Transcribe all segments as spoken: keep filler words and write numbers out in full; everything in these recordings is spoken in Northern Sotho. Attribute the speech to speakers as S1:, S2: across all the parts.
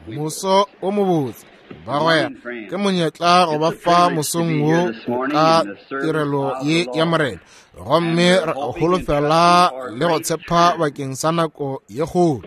S1: Moso o mobotse bagwera ke monyetla go ba fa mosong wo ka tirelo ye ya Morena, gomme re holofela le go tshepa bakeng sa nako ye kgolo.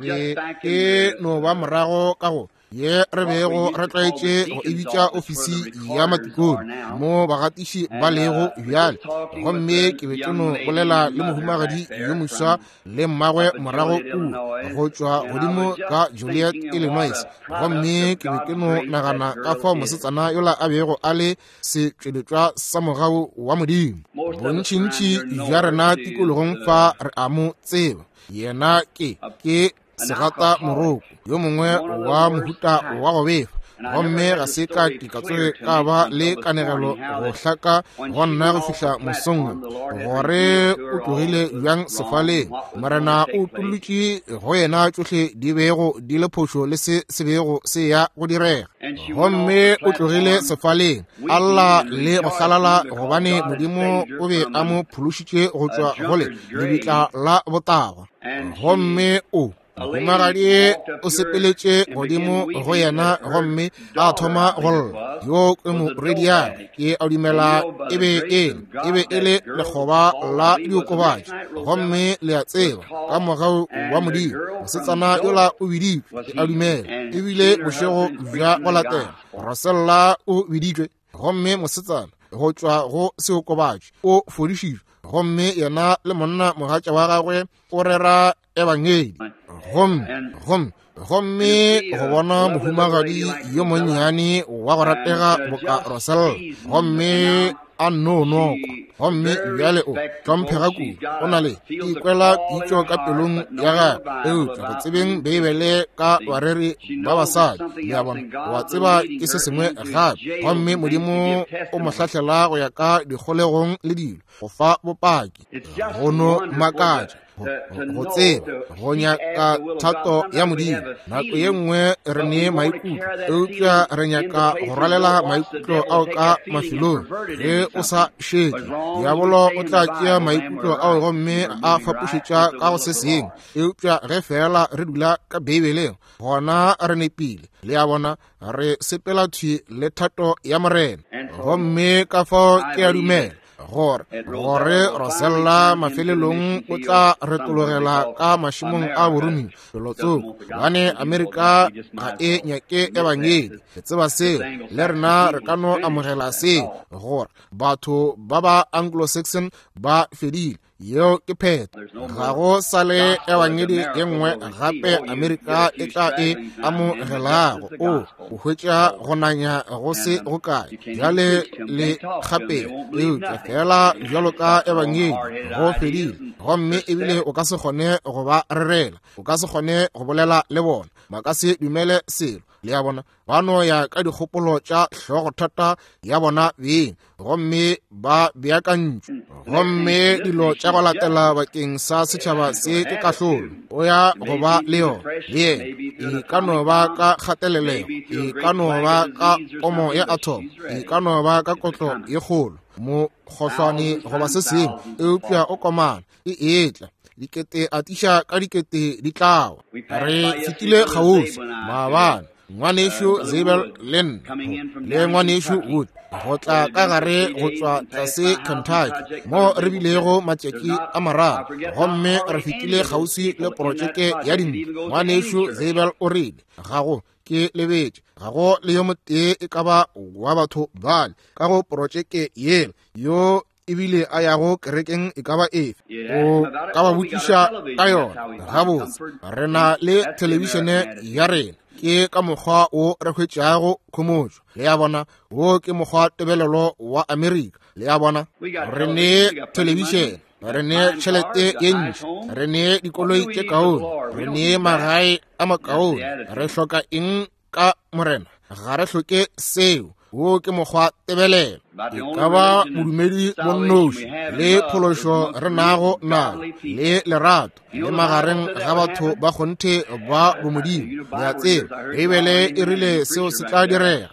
S1: Be ke no ba morago ka go ye re bego re tlwaetše go e bitša ofisi ya matikone mo bagatiši ba lego bjale, gomme ke be ke no bolela le mohumagadi yo moswa le mmagwe morago kua go tšwa godimo ka Joliet, Illinois, gomme ke be ke no nagana ka fao mosetsana yola a bego a le setšweletšwa sa mogau wa Modimo. Bontšintši bja rena tikologong fa re a mo tseba, yena ke ke segata moroko yo mongwe wa mohuta wa go befa, gomme ga se ka ke ka tsoge ka ba le kanegelo go hlaka go nna go fihla mosong gore o tlogile bjang sefaleng. Morena o utolotše go yena tšohle di bego di le phošo le se se bego se ya go direga, gomme o tlogile sefaleng a lla le go hlalala gobane Modimo o be a mo phološitše go tšwa go le lebitla la botagwa. Gomme o mohumagadi o sepeletše godimo go yena gomme a thoma go lla. Yo ke morwediagwe, ke a dumela e be e e be e le lekgoba la diokobatši, gomme le a tseba ka mogau wa Modimo mosetsana yola o biditšwe, ke a dumela ebile bošego bja go latela Rosella o biditšwe, gomme mosetsana go tšwa go seokobatši o fodišitšwe, gomme yena le monna mogatša wa gagwe o rera ebangedi. Gomme gomme gomme go bona mohumagadi yo monnyane wa go ratega boka Rosella, gomme a nno nokwa, gomme bjale o hlomphega kudu, o na le ikwela pitšo ka pelong ya gagwe, eupša go tsebeng Beibele ka bareri ba basadi, le a bona, wa tseba ke se sengwe gape, gomme Modimo o mo hlahlela go ya ka dikgolegong le dilo go fa bopaki. Go no makatša go tseba go nyaka thato ya Modimo. Nako ye nngwe re ne maikutlo, eupša re nyaka go rwalela maikutlo ao ka mafelong. Ge o sa šetše, diabolo o tla tšea maikutlo ao gomme a fapošetša ka go se sengwe, eupša ge fela re dula ka Beibeleng, gona re nepile. Le a bona, re sepela thwi le thato ya Morena. Gomme ka fao ke a dumela gore gore Rosella mafelelong o tla retologela ka mašemong a boromiwa felotsoko, gobane Amerika ga e nyake ebangedi. Re tseba seo, le rena re ka no amogela seo, gore batho ba ba Anglo-Saxon ba fedile. Yeo ke phetho. Ga go sa le ebangedi ye nngwe gape Amerika e tla e amogelago. O o hwetša go nanya go se go kae bjale le gape, eupša fela bjalo ka ebangedi go fedile, gomme ebile o ka se kgone go ba rerela, o ka se kgone go bolela le bona, ba ka se dumele selo. Le a bona, ba no ya ka dikgopolo tša hlogothata ya bona beng, gomme ba beakantšwe, gomme dilo tša go latela bakeng sa setšhaba se ke kahlolo. O ya go ba le yona le yena, e ka no ba ka kgatelelego, e ka no ba ka pomo ya atom, e ka no ba ka kotlo ye kgolo, mokgohlwane goba se sengwe, eupša o komana e etla. Dikete atiša ka dikete di tlawa. Re fetile kgauswi maabane, ngwanešu Zabel le nna le ngwanešu Wood, go tla ka gare go tšwa tlase Kentucky mo re bilego matšatši a mararo, gomme re fetile kgauswi le porotšeke ya dintlo. Ngwanešu Zabel o rile, ga go ke lebetše, ga go le yo motee e ka ba wa batho bale ka go porotšeke yela yo ebile a yago kerekeng e ka ba efe, o ka ba botšiša ka yona. Gabotse, re na le thelebišene ya rena, ke ka mokgwa wo re hwetšago khomotšo. Le a bona, wo ke mokgwa tebelelo wa Amerika. Le a bona, re ne thelebišene, re ne tšhelete ye ntši, re ne dikoloi tše kaone, re ne magae a makaone. Re hloka eng ka Morena? Ga re hloke seo. Wo ke mokgwa tebelelo. E ka ba bodumedi bo nnoši le phološo re nago nao le lerato le magareng ga batho ba kgonthe ba bomodimo. Le a tseba, Beibele e rile seo se tla direga.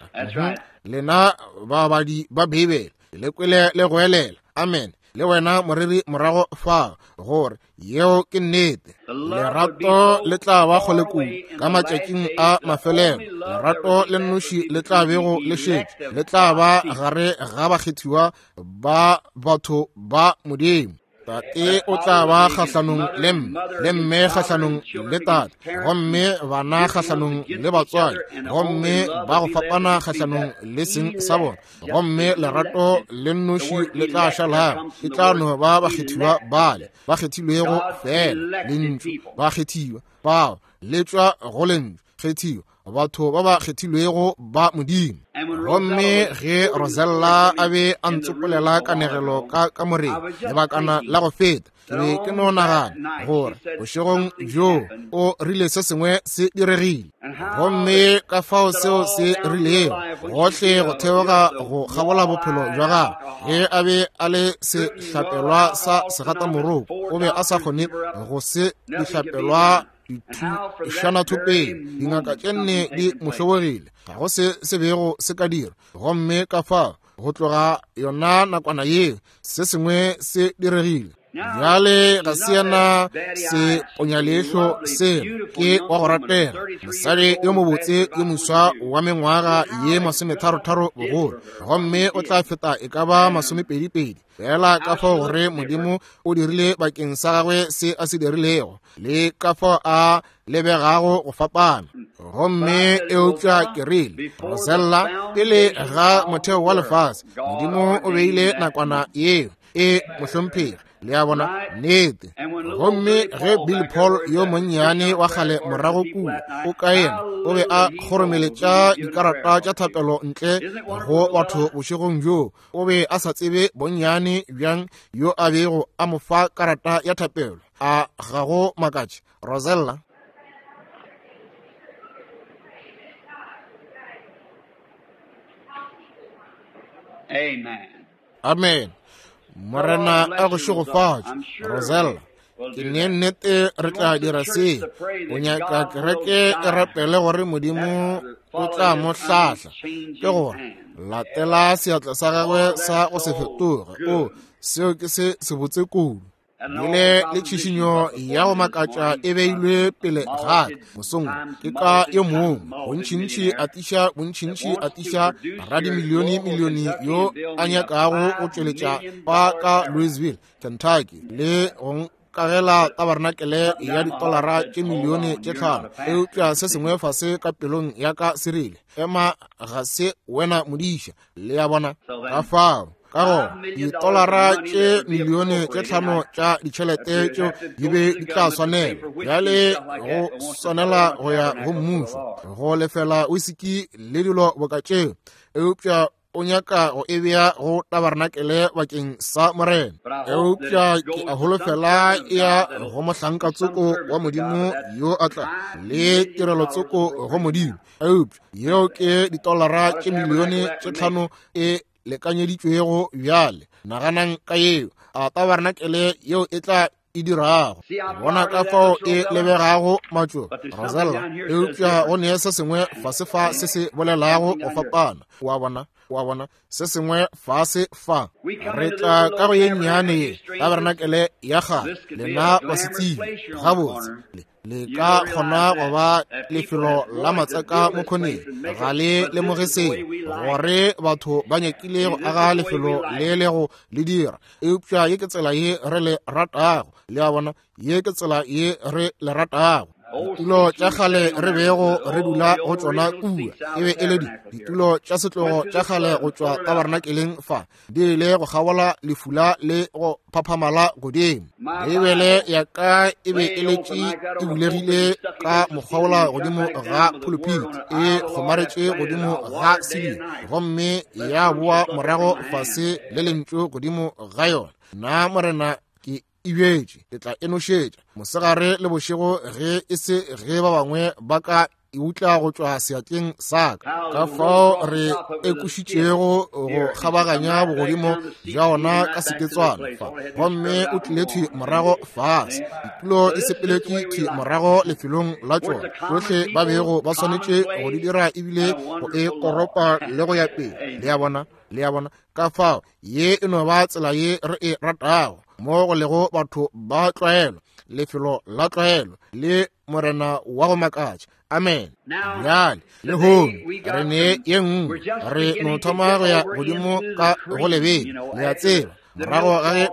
S1: Lena babadi ba Beibele, le kwele le goelela amen. Le wena moreri morago fa, gore yeo ke nnete. Lerato le tla ba kgole kudu ka matšatšing a mafelelo. Lerato le nnoši le tla bego le šetše, le tla ba gare ga bakgethiwa ba batho ba Modimo. Tate o tla ba kgahlanong le mme, le mme kgahlanong le tate, gomme bana kgahlanong le batswadi, gomme ba go fapana kgahlanong le seng sa bona. Gomme lerato le nnoši le tla šalago, e tla no ba bakgethiwa bale ba kgethilwego fela. Lentšu ba kgethiwa bao le tšwa go lentšu kgethiwa, batho ba ba kgethilwego ba Modimo. Gomme ge Rosella a be a ntsopolela kanegelo ka kamoreng lebakana la go feta, ke be ke no nagana gore bošegong bjo o rile se sengwe se diregile. Gomme ka fao seo se rilego gohle go theoga go kgabola bophelo bja gagwe. Ge a be a le sehlapelwa sa segatamoroko, o be a sa kgone go se dihlapelwa dithušanathopeng. Dingaka tše nne di mo hlobogile, ga go se se bego se ka dira. Gomme ka fao go tloga yona nakwana yeo se sengwe se diregile. Bjale ga se yena se ponyaleihlo seo, ke wa go ratega, mosadi yo mobotse yo moswa wa mengwaga ye masometharotharo bogolo, gomme o tla feta e ka ba masomepedipedi. Fela ka fao gore Modimo o dirile bakeng sa gagwe se a se dirilego, le ka fao a lebegago go fapana. Gomme eupša ke rile, Rosella, pele ga motheo wa lefase, Modimo o beile nakwana yeo e mohlomphegi. Le a bona, nnete. Gomme ge Billy Paul yo monnyane wa kgale morago kua o ka yena o be a kgoromeletša dikarata tša thapelo ntle go batho bošegong bjo, o be a sa tsebe bonnyane bjang yo a bego a mo fa karata ya thapelo. A ga go makatše, Rosella?
S2: Amen.
S1: Amen. Morena a go šegofatše, Rosella. Ke ne nnete re tla dira se. O nyaka kereke e rapele gore Modimo o tla mo hlahla, ke gore latela seatla sa gagwe sa go se fetoge. O seo ke se sebotse kudu. Bile le tšhišinyo ya go makatša e beilwe pele ga ka mosong ke ka yo mongwe, bontšintši a tiša, bontšintši a tiša radimilione milione yo a nyakago go tšweletša pa ka Louisville, Kentucky, le go nkagela tabarnakele ya ditolara tše milione tše tlhano. Eupša se sengwe fase ka pelong ya ka se rile, ema, ga se wena modiša. Le a bona? Ka fao ka gona ditolara tše milione tše tlhano tša ditšhelete tšeo di be di tla swanela bjale go swanela go ya go mmušo go lefela wisiki le dilo boka tšeo, eupša o nyaka go e bea go tabarnakele bakeng sa Morena. Eupša ke a holofela e ya go mohlankatsoko wa Modimo yo a tla le tirelotsoko go Modimo. Eupša yeo ke ditolara tše milione tše tlhano e lekanyeditšwego bjale. Naganang ka yeo, a tabarnakele yeo e tla e dirago. Bona ka fao e lebegago matšo, Rosella. Eupša go ne se sengwe fase fa se se bolelago go fapana. Wa bona, wa bona, se sengwe fase fa. Re tla ka go ye nnyane ye tabarnakele ya kgale, lena basetsebje gabotse le ka kgona go ba lefelo la matsaka mo khoneng. Ga le lemoge seo, gore batho ba nyakile go aga lefelo le le go le dira, eupša ye ke tsela ye re le ratago. Le a bona, ye ke tsela ye re le ratago. Ditulo tša kgale re bego re dula go tšona kua e be e le di ditulo tša setlogo tša kgale go tšwa tabarnakeleng fa, di ile go kgabola lefula le go phaphamala godimo. Beibele ya ka e be e letše e bulegile ka mokgwaola godimo ga pulpit, e kgomaretše godimo ga siling, gomme ya boa morago fase le lentšu godimo ga yona. Nna Morena ke e bjetše, ke tla e nošetša mosegare le bošego, ge e se ge ba bangwe ba ka e utla go tšwa seatleng sa ka. Ka fao re ekušitšego go kgabaganya bogodimo bja ona ka seketswana fa, gomme o tlile thwi morago fase. Ditulo di sepeletše thwi morago lefelong la tšona. Tšohle ba bego ba swanetše go di dira ebile go e koropa le go ya pele. Le a bona, le a bona. Ka fao ye e no ba tsela ye re e ratago, mo go lego batho ba tlwaelo, lefelo la tlwaelo le Morena wa go makatša. Amen. Bjale lehono re ne ye nngwe, re no thoma go ya godimo ka go lebele, le a tseba, morago ga ge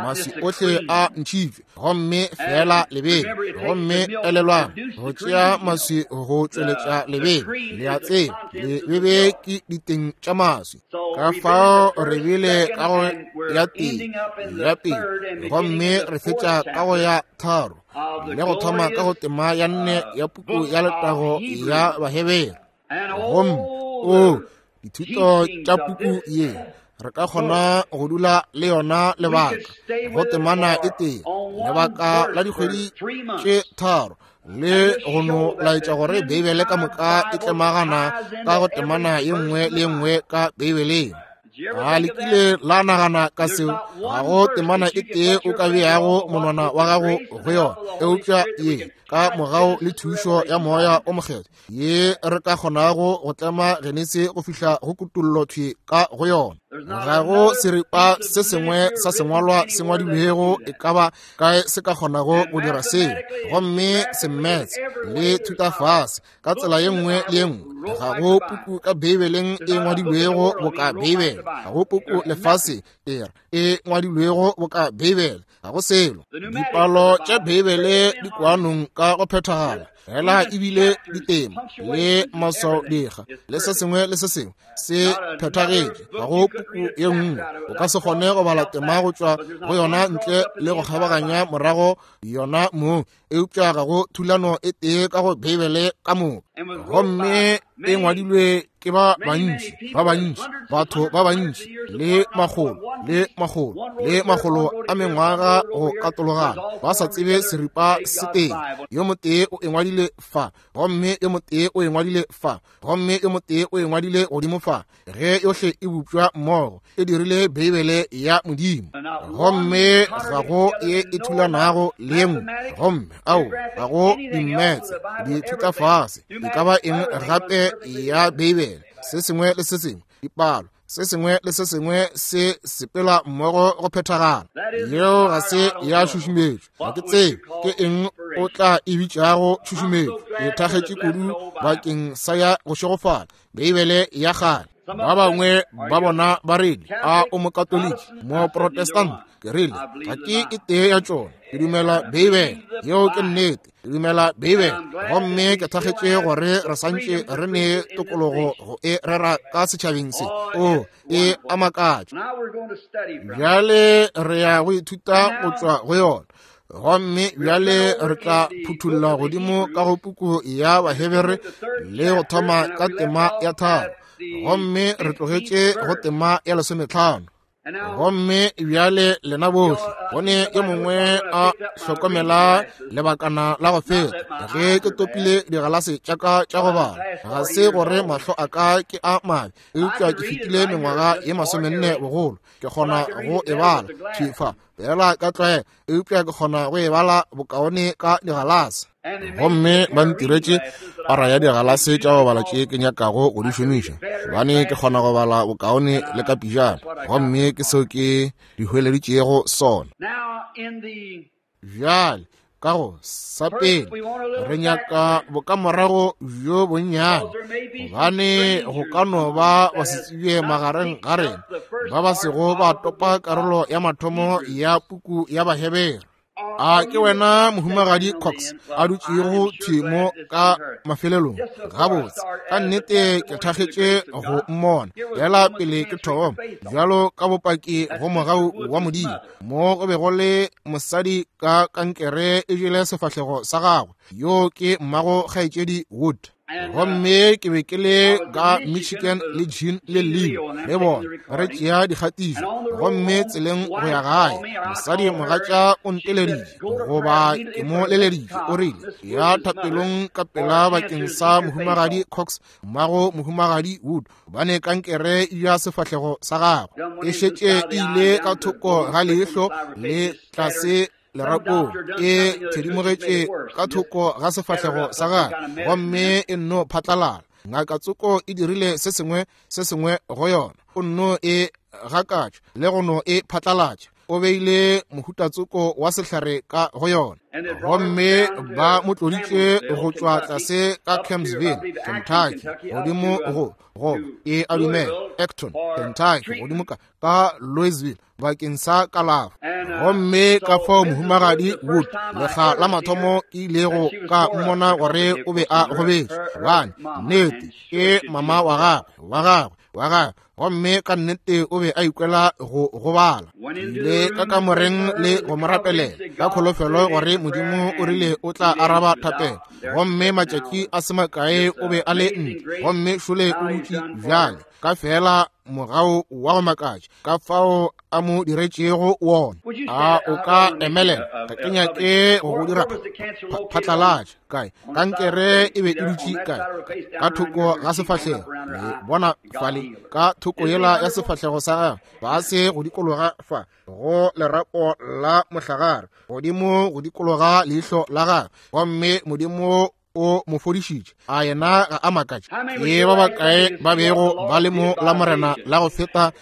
S1: maswi ohle a ntšhitšwe, gomme fela lebele. Gomme elelwang, go tšea maswi go tšweletša lebele, le a tseba, lebebe ke diteng tša maswi. Ka fao re bile ka go ya tee, ya pele, gomme re fetša ka go ya tharo, le go thoma ka go tema ya nne ya puku ya letago ya Bahebere. Gomme o dithuto tša puku ye re ka kgona go dula le yona lebaka go temana e tee, lebaka la dikgwedi tše tharo, le go no laetša gore Beibele ka moka e tlemagana ka go temana ye nngwe le ye nngwe ka Beibeleng. A le kile la nagana ka seo? Ga go temana e tee o ka beago monwana wa gago go yona, eupša ye ka mogau le thušo ya Moya o Mokgethwa ye re ka kgonago go tlema Genesi go fihla go kutollo thwi ka go yona. Ga go seripa se sengwe sa sengwalwa se ngwadilwego e ka ba kae se ka kgonago go dira seo, gomme semmetse le thutafase ka tsela ye nngwe le ye nngwe. Ga go puku ka Beibeleng e ngwadilwego boka Beibele, ga go puku lefase e ngwadilwego boka Beibele, ga go selo. Dipalo tša Beibele di kwanong ka go phethagala, fela ebile ditema le maswaodikga le se sengwe le se sengwe se phethagetše. Ga go puku ye nngwe o ka se kgone go bala tema go tšwa go yona ntle le go kgabaganya morago yona mong, eupša ga go thulano e tee ka go Beibele ka moka. Gomme e ngwadilwe ke ba bantši, ba bantši, batho ba bantši, le makgolo le makgolo le makgolo a mengwaga go katologana, ba sa tsebe seripa se tee. Yo motee o e ngwadile fa, gomme yo motee o e ngwadile fa, gomme yo motee o e ngwadile godimo fa. Ge yohle e bopšwa mmogo, e dirile Beibele ya Modimo. Gomme ga go ye e thulanago le ye nngwe. Gomme ao ga go dimmetse, dithutafase, e ka ba eng gape ya Beibele, se sengwe le se sengwe, dipalo, se sengwe le se sengwe se sepela mmogo go phethagala. Yeo ga se ya tšhušumetšo. Ga ke tsebe ke eng o tla e bitšago tšhušumetšo. E thakgetše kudu bakeng sa ya go šegofala Beibele ya kgale. Ba bangwe ba bona ba rile, a o Mokatoliki, Moprotestant? Ke rile, ga ke e tee ya tšona. Ke dumela Beibele. Yeo ke nnete. Ke dumela Beibele. Gomme ke thakgetše gore re santše re ne tokologo go e rera ka setšhabeng se. O e a makatša. Bjale re ya go ithuta go tšwa go yona. Gomme bjale re tla phuthulla godimo ka go puku ya Bahebere le go thoma ka tema ya tharo, gomme re tlogetše go tema ya lesometlhano. Gomme bjale lena bohle, go ne yo mongwe a hlokomela lebakana la go feta ge ke topile digalase tša ka tša go bala. Ga se gore mahlo a ka ke a mabe, eupša ke fetile mengwaga ye masomenne bogolo. Ke kgona go e bala thwi fa fela ka tlwaelo, eupša ke kgona go e bala bokaone ka digalase. Gomme ba ntiretše para ya digalase tša go bala tše ke nyakago go di šomiša, gobane ke kgona go bala bokaone le ka pijana, gomme ke seo ke di hweleditšego sona. Bjale ka go sa pele re nyaka bokamorago bjo bonnyane, gobane go ka no ba basetsebje magareng ga rena ba ba sego ba topa karolo ya mathomo ya puku ya Bahebere. A ke wena Mohumagadi Cox a dutšego thwi mo ka mafelelong? Gabotse, ka nnete ke thakgetše go mmona fela pele ke thoma, bjalo ka bopaki go mogau wa Modimo. Mo go be go le mosadi ka kankere e jele sefahlego sa gagwe, yo ke mmago kgaetšedi Wood. Gomme ke be ke le ka Michigan le Jean le Leo le bona re tšea dikgatišo, gomme tseleng go ya gae mosadi mogatša o nteleditše goba ke mo leleditše, o rile ya thapelong ka pela bakeng sa mohumagadi Cox mmago mohumagadi Wood, gobane kankere ya sefahlego sa gagwe e šetše e ile ka thoko ga leihlo le tlase lerapong, e thedimogetše ka thoko ga sefahlego sa gagwe gomme e nno phatlalala. Ngaka tsoko e dirile se sengwe se sengwe go yona, o nno e gakatša le go no e phatlalatša, o beile mohutatsoko wa sehlare ka go yona, gomme ba mo tloditše go tšwa tlase ka Kempsville, Kentucky, godimo go go e a dumela Acton, Kentucky, godimo ka ka Louisville bakeng sa kalafo. Gomme ka fao mohumagadi Wood lekga la mathomo ke ilego ka mmona gore o be a gobetše, gobane nnete ke mama wa gagwe wa gagwe wa gagwe, gomme ka nnete o be a ikwela go gobala. Ke ile ka kamoreng le go mo rapelela ka kholofelo gore Modimo o rile o tla araba thapelo, gomme matšatši a se makae o be a le ntle, gomme šole o dutše bjale ka fela mogau wa go makatša ka fao a mo diretšego wona. A o ka emelela? Ga ke nyake go go dira phatlalatša kae. Kankere e be e dutše kae? Ka thoko ga sefahlego. Le bona fale ka thoko yela ya sefahlego sa gagwe, fase go dikologa fa go lerapo la mohlagare, godimo go dikologa leihlo la gagwe, gomme Modimo o mo fodišitše. A yena ga a makatše? Ke ba bakae ba bego ba le mo la Morena la go feta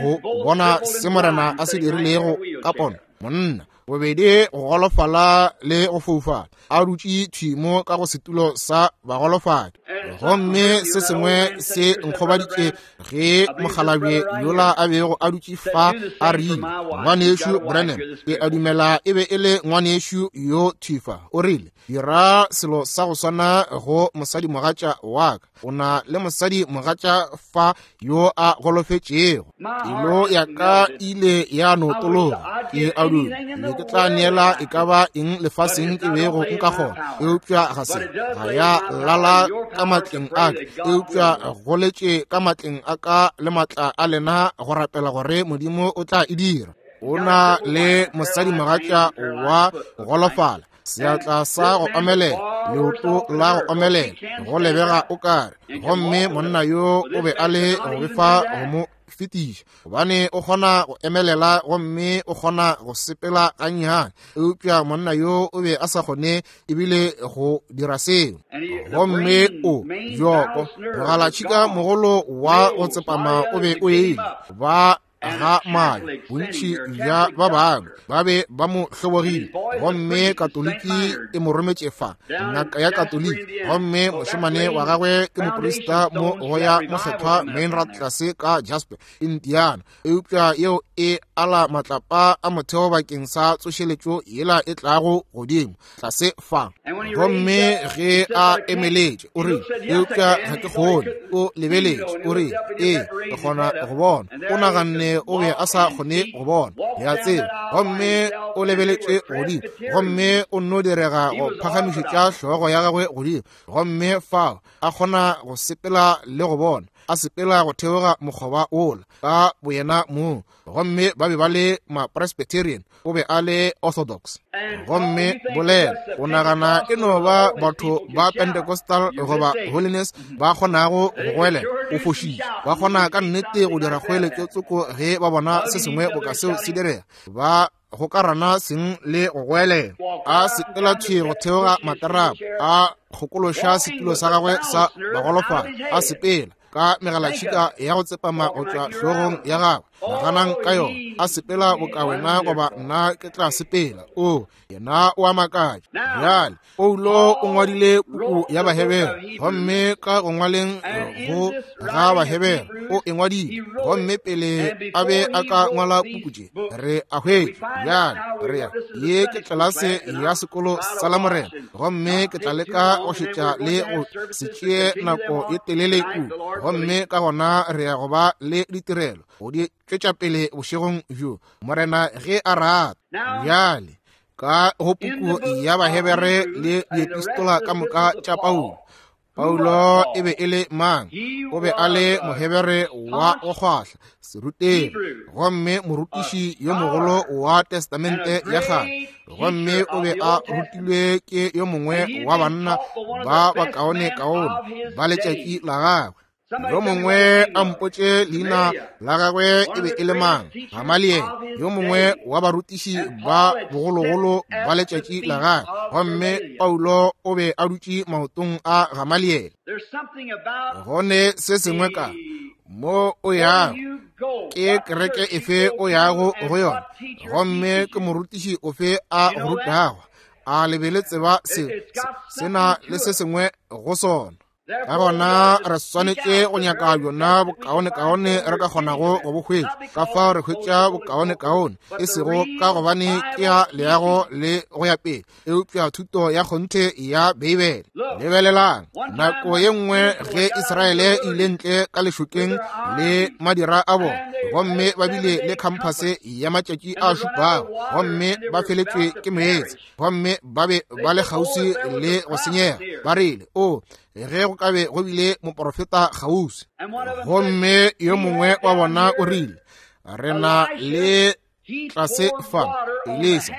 S1: go bona se Morena a se dirilego ka pono? Monna bobedi go golofala le go foufala, a dutše thwi mo ka go setulo sa bagolofadi. Gomme se sengwe se nkgobaditše ge mokgalabje yola a bego a dutše fa a rile, ngwanešu Branham, ke a dumela e be e le ngwanešu yo thwi fa, o rile, dira selo sa go swana go mosadimogatša wa ka, o na le mosadimogatša fa yo a golofetšego. Pelo ya ka ile ya no tologa, ke a dumela ke tla neela e ka ba eng lefaseng ke bego nka kgona, eupša ga se ga ya lala ka matleng a ka, eupša go letše ka matleng a ka le matla a lena go rapela gore Modimo o tla e dira. O na le mosadimogatša wa go golofala, seatla sa go omelela, leoto la go omelela, go lebega o kare, gomme monna yo o be a le go befa go mo fetiša, gobane o kgona go emelela gomme o kgona go sepela gannyane, eupša monna yo o be a sa kgone ebile go dira seo. Gomme o bjoko mogalatšhika mogolo wa go tsepama o be o ile ba ga mayo, bontši bja ba bangwe ba be ba mo hlobogile, gomme Katoliki e mo rometše fa, ngaka ya Katoliki, gomme mošemane wa gagwe ke moprista mo go ya mokgethwa Meinrad tlase ka Jasper, Indiana, eupša yeo e ala matlapa a motheo bakeng sa tsošeletšo yela e tlago godimo tlase fa. Gomme ge a emeletše o rile, eupša ga ke kgone, o lebeletše o rile, ee ke kgona go bona. O naganne o be a sa kgone go bona, ya tseba, gomme o lebeletše godimo, gomme o nno direga go phagamišetša hlogo ya gagwe godimo, gomme fao a kgona go sepela le go bona, a sepela go theoga mokgoba wola ka boyena mong. Gomme ba be ba le ma-Presbyterian, o be a le Orthodox. Gomme bolela o nagana e no ba batho ba Pentecostal goba Holiness ba kgonago go goelela, o fošitše. Ba kgona ka nnete go dira kgoeletšo tsoko ge ba bona se sengwe boka seo se direga, ba gokarana seng le go goelela. A sepela thwi go theoga materapo, a kgokološa setulo sa gagwe sa bagolofadi, a sepela ka megalatšhika ya go tsepama go tšwa hlogong ya gagwe. Naganang ka yona, a sepela boka wena goba nna ke tla sepela. O yena o a makatša. Bjale Paulo o ngwadile puku ya Bahebere, gomme ka go ngwaleng go ga Bahebere o e ngwadile, gomme pele a be a ka ngwala puku tše re a hwetša. Bjale re ya ye ke tlelase ya sekolo sa la Morena, gomme ke tla leka go šetša le go se tšee nako ye telele kudu, gomme ka gona re ya go ba le ditirelo go di tšwetša pele bošegong bjo, Morena ge a rata. Bjale ka go puku ya Bahebere le diepistola ka moka tša Paulo, Paulo e be e le mang? O be a le Mohebere wa go kgwahla, serutegi, gomme morutiši yo mogolo wa Testamente ya Kgale, gomme o be a rutilwe ke yo mongwe wa banna ba bakaonekaone ba letšatši la gagwe. Yo mongwe a mpotše leina la gagwe e be e le mang? Gamaliel, yo mongwe wa barutiši ba bogologolo ba letšatši la gagwe. Gomme Paulo o be a dutše maotong a Gamaliel. Go ne se sengwe ka mo o yago, ke kereke efe o yago go yona, gomme ke morutiši ofe a go rutago? A le be le tseba se se na le se sengwe go sona? Ka gona re swanetše go nyaka bjona bokaonekaone re ka kgonago go bo hwetša. Ka fao re hwetša bokaonekaone, e sego ka gobane ke ya leago le go ya pele, eupša thuto ya kgonthe ya Beibele. Lebelelang, nako ye nngwe ge Israele e ile ntle ka lešokeng le madira a bona, gomme ba bile le khamphase ya matšatši a šupago, gomme ba feletšwe ke meetse, gomme ba be ba le kgauswi le go senyega. Ba rile, o ge go ka be go bile moporofeta kgauswi. Gomme yo mongwe wa bona o rile, re na le tlase fa Elisa,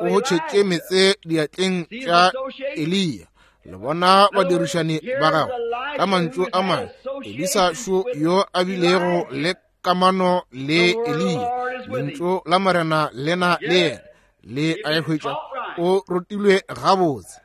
S1: o tšhetše meetse diatleng tša Eliya. Le bona badirišani ba gagwe. Ka mantšu a mangwe, Elisa šo yo a bilego le kamano le Eliya, lentšu la Morena lena le yena, le a e hwetša, o rutilwe gabotse.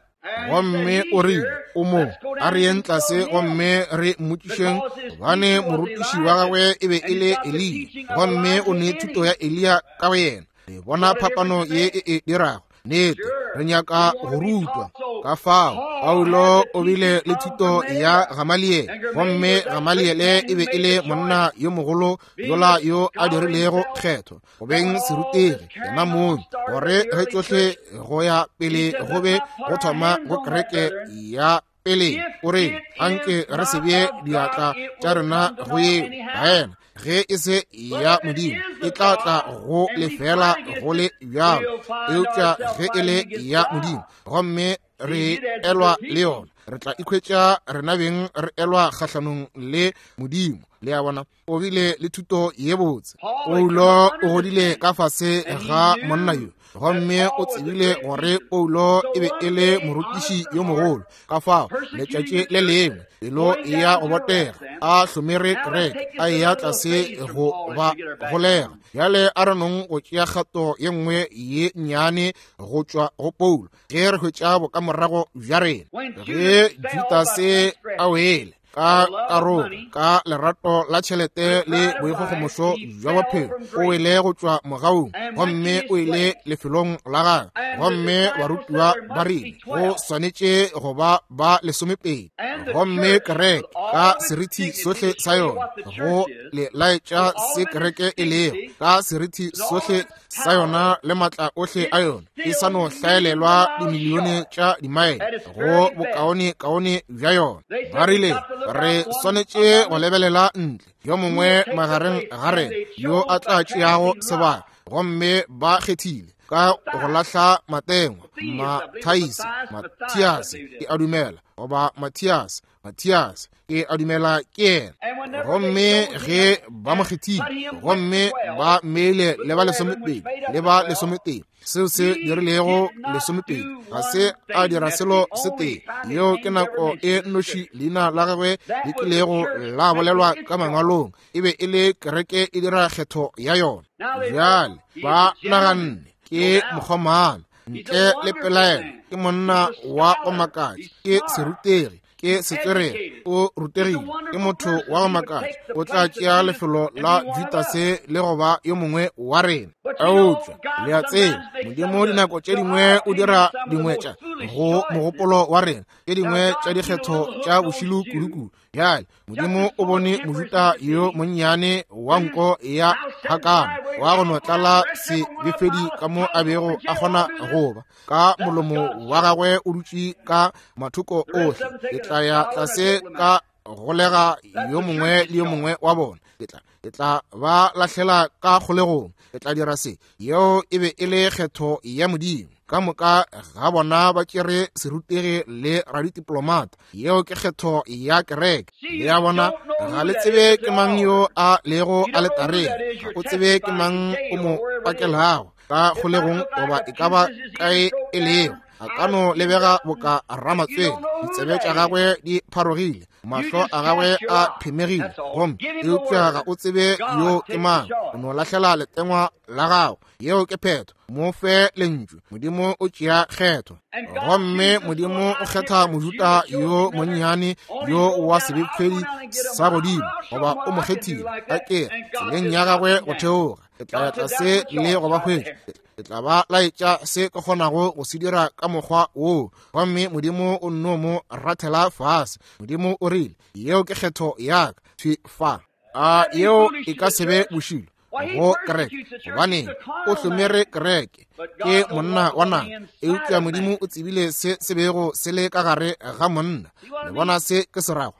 S1: Gomme o rile, o mo, a re yeng tlase gomme re mmotšišeng, gobane morutiši wa gagwe e be e le Eliya, gomme o ne thuto ya Eliya ka go yena. Le bona phapano ye e e dirago? Nnete, re nyaka go rutwa. Ka fao Paulo o bile le thuto ya Gamaliele, gomme Gamaliele e be e le monna yo mogolo yola yo a dirilego kgetho go beng serutegi yena mong, gore ge tšohle go ya pele go be go thoma go kereke ya pele. O re, anke re se bee diatla tša rena go yeo, baena. Ge e se ya Modimo, e tla tla go lefela go le bjalo, eupša ge e le ya Modimo, gomme re elwa le yona, re tla ikhwetša rena beng re elwa kgahlanong le Modimo. Le a bona, o bile le thuto ye botse. Paulo o godile ka fase ga monna yo, gomme o tsebile gore Paulo e be e le morutiši yo mogolo. Ka fao letšatši le lengwe pelo ya go botega a hlomere kereke, a eya tlase go ba golega. Bjale a re nong go tšea kgato ye nngwe ye nnyane go tšwa go Paulo, ge re hwetša bokamorago bja rena. Ge Judase a wele ka karolo ka lerato la tšhelete le boikgogomošo bja bophelo, o wele go tšwa mogaung, gomme o ile lefelong la gagwe. Gomme barutiwa ba rile go swanetše go ba ba lesomepedi. Gomme kereke ka serithi sohle sa yona, go le laetša se kereke e lego, ka serithi sohle sa yona le matla ohle a yona, e sa no hlaelelwa dimilione tša dimaele go bokaonekaone bja yona. Ba rile re swanetše go lebelela ntle, yo mongwe magareng ga rena yo a tla tšeago sebaka. Gomme ba kgethile ka go lahla matengwa, Mathaise, Mathiase ke a dumela, goba Mathias, Mathias ke a dumela ke yena. Gomme ge ba mo kgethile, gomme ba mmeile le ba lesomepedi, le ba lesometee, seo se dirilego lesomepedi, ga se a dira selo se tee. Yeo ke nako e nnoši leina la gagwe le kilego la bolelwa ka mangwalong, e be e le kereke e dira kgetho ya yona. Bjale ba naganne ke mokgomana, ntle le pelaelo ke monna wa go makatša, ke serutegi, ke setswerere, o rutegile, ke motho wa go makatša, o tla tšea lefelo la Judase le go ba yo mongwe wa rena. Eupša le a tseba, Modimo dinako tše dingwe o dira dingwe tša go mogopolo wa rena, tše dingwe tša dikgetho tša bošilo kudukudu. Bjale Modimo o bone Mojuda yo monnyane wa nko ya hakana, wa go no tlala sebefedi ka mo a bego a kgona go ba, ka molomo wa gagwe o dutše ka mathoko ohle. Ke tla ya tlase ka golega yo mongwe le yo mongwe wa bona, ke tla ke tla ba lahlela ka kgolegong. Ke tla dira se. Yeo e be e le kgetho ya Modimo. Ka moka ga bona ba tšere serutegi le radidiplomata. Yeo ke kgetho ya kereke. Le a bona, ga le tsebe ke mang yo a lego aletareng. Ga o tsebe ke mang o mo pakelago ka kgolegong goba e ka ba kae e lego. A ka no lebega boka ramatswele, ditsebe tša gagwe di pharogile, mahlo a gagwe a phemegile, gomme eupša ga o tsebe yo ke mang. O no lahlela letengwa la gago. Yeo ke phetho. Mo fe lentšu. Modimo o tšea kgetho. Gomme Modimo o kgetha Mojuda yo monnyane yo wa sebepedi sa godimo, goba o mo kgethile a ke tseleng ya gagwe go theoga. Ke tla ya tlase le go ba hwetša. Ke tla ba laetša se ke kgonago go se dira ka mokgwa woo. Gomme Modimo o nno mo rathela fase. Modimo o rile, yeo ke kgetho ya ka. Thwi fa. A yeo e ka se be bošilo go kereke, gobane o hlomere kereke, ke monna wa nama. Eupša Modimo o tsebile se se bego se le ka gare ga monna. Le bona se ke se rago?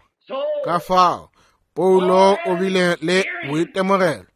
S1: Ka fao Paulo o bile le boitemogelo.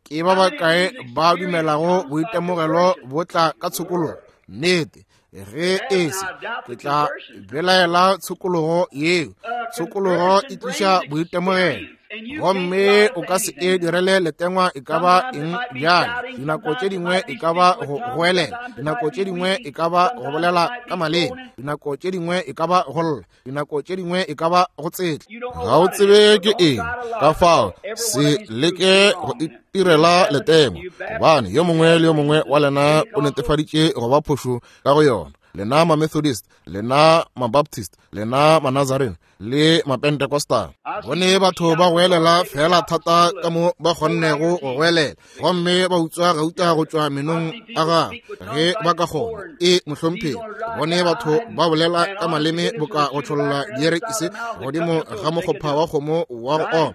S1: Ke ba bakae ba dumelago boitemogelo bo tla ka tshokologo? Nnete. Ge e se, ke tla belaela tshokologo yeo. Tshokologo e tliša boitemogelo. Gomme o ka se e direle letengwa e ka ba eng bjale. Dinako tše dingwe e ka ba go goelela, dinako tše dingwe e ka ba go bolela ka maleme, dinako tše dingwe e ka ba go lla, dinako tše dingwe e ka ba go tsetla.
S3: Ga o tsebe ke eng. Ka fao se leke go itirela letengwa, gobane yo mongwe le yo mongwe wa lena o netefaditše go ba phošo ka go yona. Lena ma-Methodist, lena ma-Baptist, lena ma-Nazarene le ma-Pentecostal.
S1: Bone batho ba goelela fela thata ka mo ba kgonnego go goelela, gomme ba utswa gauta go tšwa menong a gagwe ge ba ka kgona. E mohlomphegi. Bone batho ba bolela ka maleme boka go tšholla dierekise godimo ga mokgopha wa kgomo wa go oma,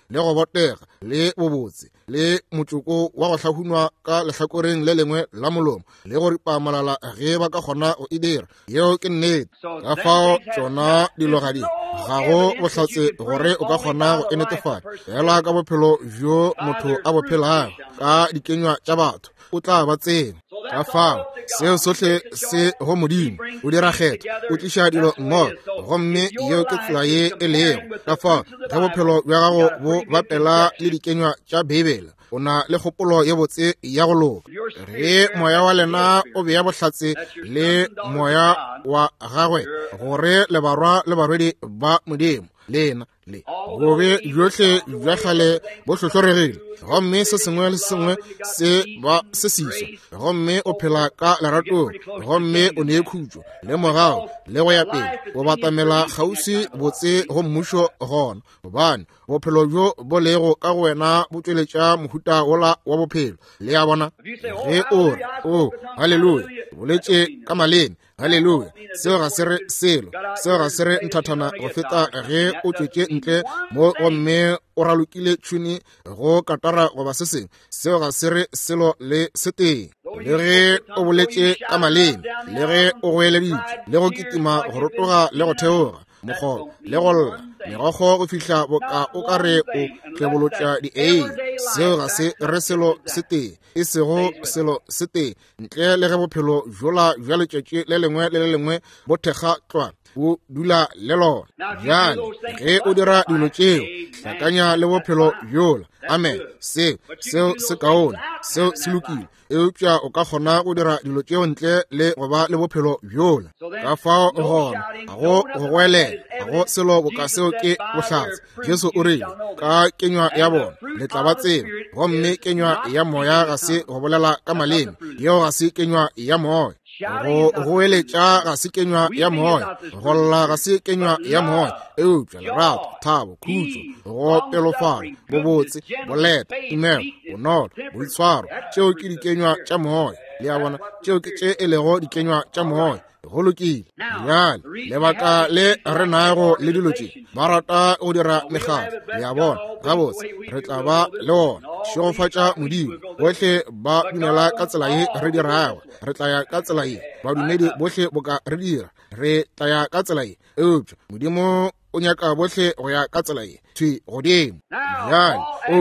S1: le go botega, le bobotse, le motšoko wa go hlahunwa ka lehlakoreng le lengwe la molomo, le go ripa molala ge ba ka kgona go e dira. Yeo ke nnete. Ka fao tšona dilo ga di, ga go bohlatse gore o ka kgona go e netefatša. Fela ka bophelo bjo motho a bo phelago, ka dikenywa tša batho, o tla ba tseba. Ka fao seo sohle se go Modimo. O dira kgetho, o tliša dilo mmogo, gomme yeo ke tsela ye e lego. Ka fao ge bophelo bja gago bo bapela le dikenywa tša Beibele, o na le kgopolo ye botse ya go loka. Ge moya wa lena o bea bohlatse le moya wa gagwe gore le barwa le barwedi ba Modimo, lena le bobe bjohle bja kgale bo hlohloregile, gomme se sengwe le sengwe se ba se siswa, gomme o phela ka leratong, gomme o ne khutšo le mogao le go ya pele. O batamela kgauswi botse go mmušo gona, gobane bophelo bjo bo lego ka go wena bo tšweletša mohuta wola wa bophelo. Le a bona? Ge o re, o haleluya, boletše ka maleme, haleluya, seo ga se re selo. Seo ga se re nthathana go feta ge o tšwetše ntle mo gomme o ralokile tšhuni go katara goba se sengwe. Seo ga se re selo le setee. Le ge o boletše ka maleme, le ge o goeleditše, le go kitima go rotoga le go theoga mokgobo, le go lla megokgo go fihla boka o ka re o tlebolotša di-ei, seo ga se re selo setee, e sego selo setee, ntle le ge bophelo bjola bja letšatši le lengwe le le lengwe bo thekga tlwa, o dula le lona. Bjale ge o dira dilo tšeo, hlakanya le bophelo bjola. Amen. Seo seo se kaone, seo se lokile. Eupša o ka kgona go dira dilo tšeo ntle le go ba le bophelo bjola. Ka fao gona ga go go goelela, ga go selo boka seo ke bohlatse. Jesu o rile, ka kenywa ya bona le tla ba tseba. Gomme kenywa ya moya ga se go bolela ka maleme, yeo ga se kenywa ya moya. Go goeletša ga se kenywa ya moya, go lla ga se kenywa ya moya. Eupša lerato, thabo, khutšo, go pelofala, bobotse, boleta, tumelo, bonolo, boitshwaro, tšeo ke dikenywa tša moya. Le a bona? Tšeo ke tše e lego dikenywa tša moya. Go lokile. Bjale lebaka le re nago le dilo tše, ba rata go dira mekgatlo. Le a bona? Gabotse, re tla ba le ona. Šegofatša Modimo, bohle ba dumela ka tsela ye re dirago, re tla ya ka tsela ye. Badumedi bohle boka re dira, re tla ya ka tsela ye. Eupša Modimo o nyaka bohle go ya ka tsela ye thwi godimo. Bjale o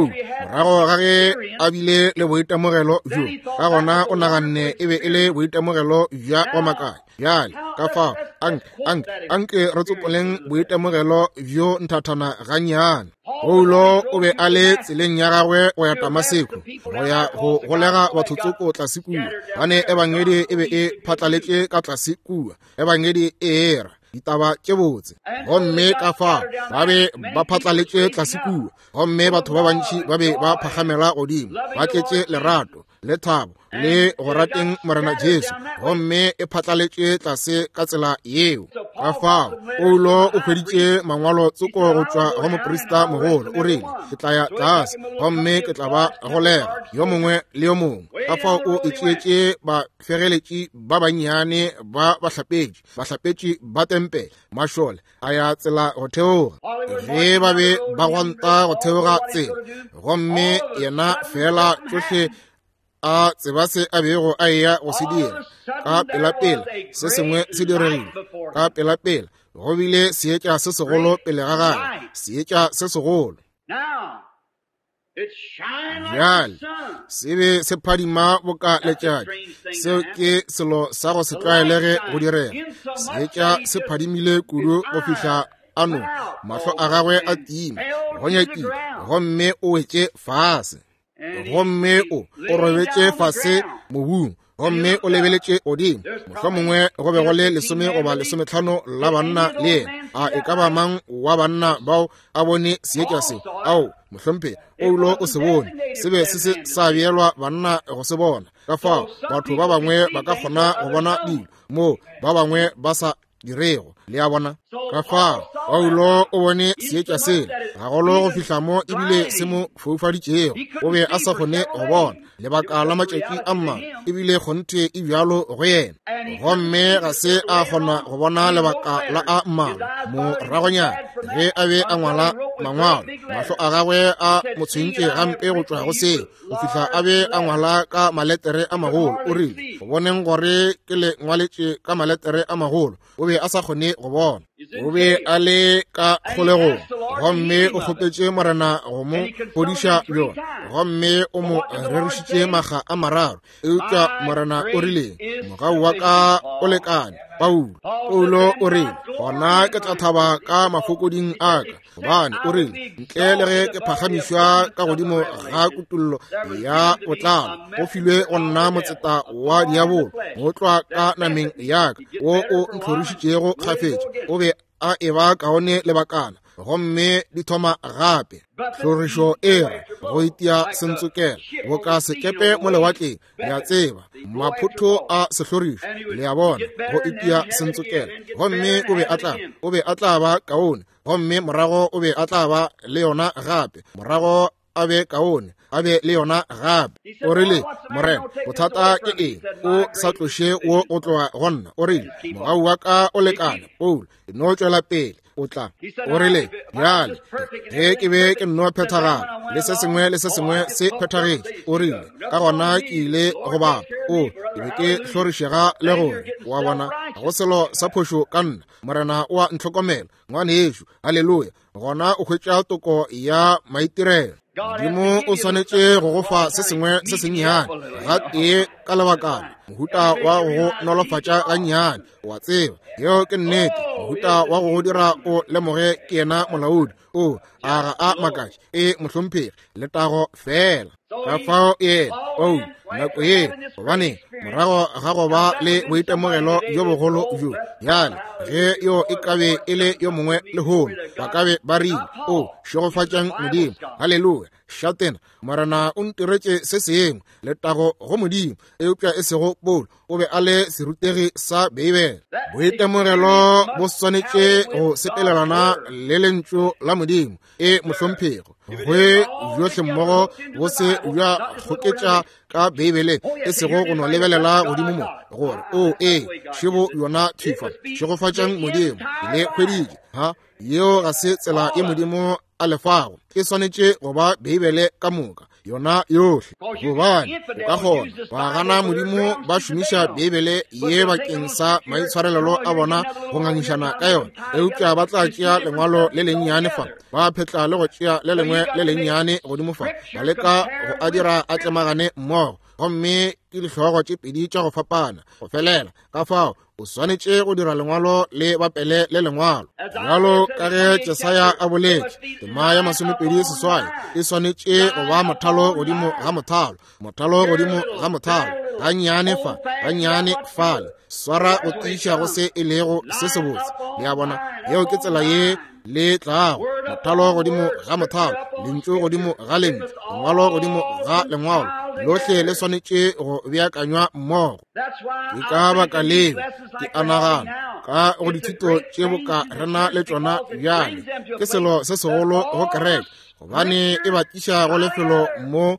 S1: morago ga ge a bile le boitemogelo bjo, ka gona o naganne e be e le boitemogelo bja go makatša. Bjale ka fao anke anke anke re tsopoleng boitemogelo bjo nthathana gannyane. Paulo o be a le tseleng ya gagwe go ya Damaseko go ya go golega batho tsoko tlase kua, gane ebangedi e be e phatlaletše ka tlase kua, ebangedi e era ditaba tše botse. Gomme ka fao ba be ba phatlaletše tlase kua, gomme batho ba bantši ba be ba phagamela godimo, ba tletše lerato le thabo le go rateng Morena Jesu, gomme e phatlaletše tlase ka tsela yeo. Ka fao Paulo o hweditše mangwalo tsoko go tšwa go moprista mogolo, o rile, ke tla ya tlase gomme ke tla ba golega yo mongwe le yo mongwe. Ka fao o itšeetše bafegeletši ba bannyane ba bahlapetši, bahlapetši ba tempele, mašole a ya tsela go theoga. Ge ba be ba gwanta go theoga tsela, gomme yena fela tšohle a tseba se a bego a eya go se dira, ka pelapela se sengwe se diregile. Ka pelapela go bile seetša se segolo pele ga gagwe, seetša se segolo. Bjale se be se phadima boka letšatši. Seo ke selo sa go se tlwaelege go direga. Seetša se phadimile kudu go fihla ano mahlo a gagwe a tima go nyakile, gomme o wetše fase. Gomme o o robetše fase mobung, gomme o lebeletše godimo. Mohlomongwe go be go le lesome goba lesometlhano la banna le yena. A e ka ba mang wa banna bao a bone seetša se? Ao, mohlomphegi, Paulo o se bone. Se be se se sa beelwa banna go se bona. Ka fao batho ba bangwe ba ka kgona go bona dilo moo ba bangwe ba sa dirego, le a bona. Ka fao Paulo o bone seetša sela gagolo go fihla mo ebile se mo foufaditšego. O be a sa kgone go bona lebaka la matšatši a mmalwa, ebile kgonthe e bjalo go yena, gomme ga se a kgona go bona lebaka la a mmalwa. Moragonyana ge a be a ngwala mangwalo, mahlo a gagwe a mo tshwentše gampe go tšwa go seo, go fihla a be a ngwala ka maletere a magolo. O rile, go boneng gore ke le ngwaletše ka maletere a magolo, o be a sa kgone go bona. O be a le ka kgolegong, gomme o kgopetše Morena go mo fodiša bjona, gomme o mo rerišitše makga a mararo. Eupša Morena o rile, mogau wa ka o lekane, Paulo. Paulo o rile, gona ke tla thaba ka mafokoding a ka, gobane o rile, ntle le ge ke phagamišwa ka godimo ga kutollo ya botlalo, go filwe go nna motseta wa diabolo motlwa ka nameng ya ka, wo o ntlhorišitšego kgafetša. O be a eba kaone lebakana, gomme di thoma gape. Tlhorišo e re go itia sentsokela boka sekepe mo lewatleng, le a tseba, maphotho a sehlorišo, le a bona, go itia sentsokela. Gomme o be a tla o be a tla ba kaone, gomme morago o be a tla ba le yona gape, morago a be kaone, a be le yona gape. O rile, Morena, bothata ke eng o sa tloše wo o tloga go nna? O rile, mogau wa ka o lekane, Paulo, e no tšwela pele o tla. O rile, bjale ge ke be ke nno phethagala le se sengwe le se sengwe se phethagetše, o rile, ka gona ke ile go bapa, o ke be ke hlorišega le gore wa bona go selo sa phošo ka nna. Morena o a ntlhokomela, ngwanešo, haleluya. Gona o hwetša toko ya maitirelo. Modimo o swanetše go go fa se sengwe se sennyane gatee ka lebakana, mohuta wa go go nolofatša gannyane, wa tseba, yeo ke nnete, mohuta wa go go dira o lemoge ke yena molaodi. O a ga a makatše, e mohlomphegi, letago fela. Ka fao yena Paulo nako ye, gobane morago ga go ba le boitemogelo bjo bogolo bjo, bjale ge yo e ka be e le yo mongwe lehono, ba ka be ba rile, o šegofatšang Modimo, haleluya, šatena, Morena o ntiretše se sengwe, letago go Modimo. Eupša e sego Paulo, o be a le serutegi sa Beibele. Boitemogelo bo swanetše go sepelelana le lentšu la Modimo, e mohlomphego, gwe bjohle mmogo bo se bja kgoketša ka Beibeleng, e sego go no lebelela godimo mo gore o e šebo yona thifa, šegofatšang Modimo, le hweditše. Ha, yeo ga se tsela ye Modimo a lefago. E swanetše go ba Beibele ka moka. yona yohle. Gobane o ka kgona ba gana Modimo ba šomiša Beibele ye bakeng sa maitshwarelelo a bona go ngangišana ka yona, eupša ba tla tšea lengwalo le lennyane fa, ba phetla le go tšea le lengwe le lennyane godimo fa, ba leka go a dira a tlemagane mmogo, gomme ke dihlogo tše pedi tša go fapana go felela. Ka fao o swanetše go dira lengwalo le bapele le lengwalo. Bjalo ka ge Jesaya a boletše, tema ya masomepedi seswai e swanetše go ba mothalo godimo ga mothalo, mothalo godimo ga mothalo, gannyane fa, gannyane fale, swara go tiiša go se e lego se sebotse. Le a bona, yeo ke tsela ye le tlago, mothalo godimo ga mothalo, lentšu godimo ga lentšu, lengwalo godimo ga lengwalo, lohle le swanetše go beakanywa mmogo. Ke ka baka leo ke a nagana ka go dithuto tše boka rena le tšona bjale ke selo se segolo go kereke, gobane e ba tliša go lefelo mo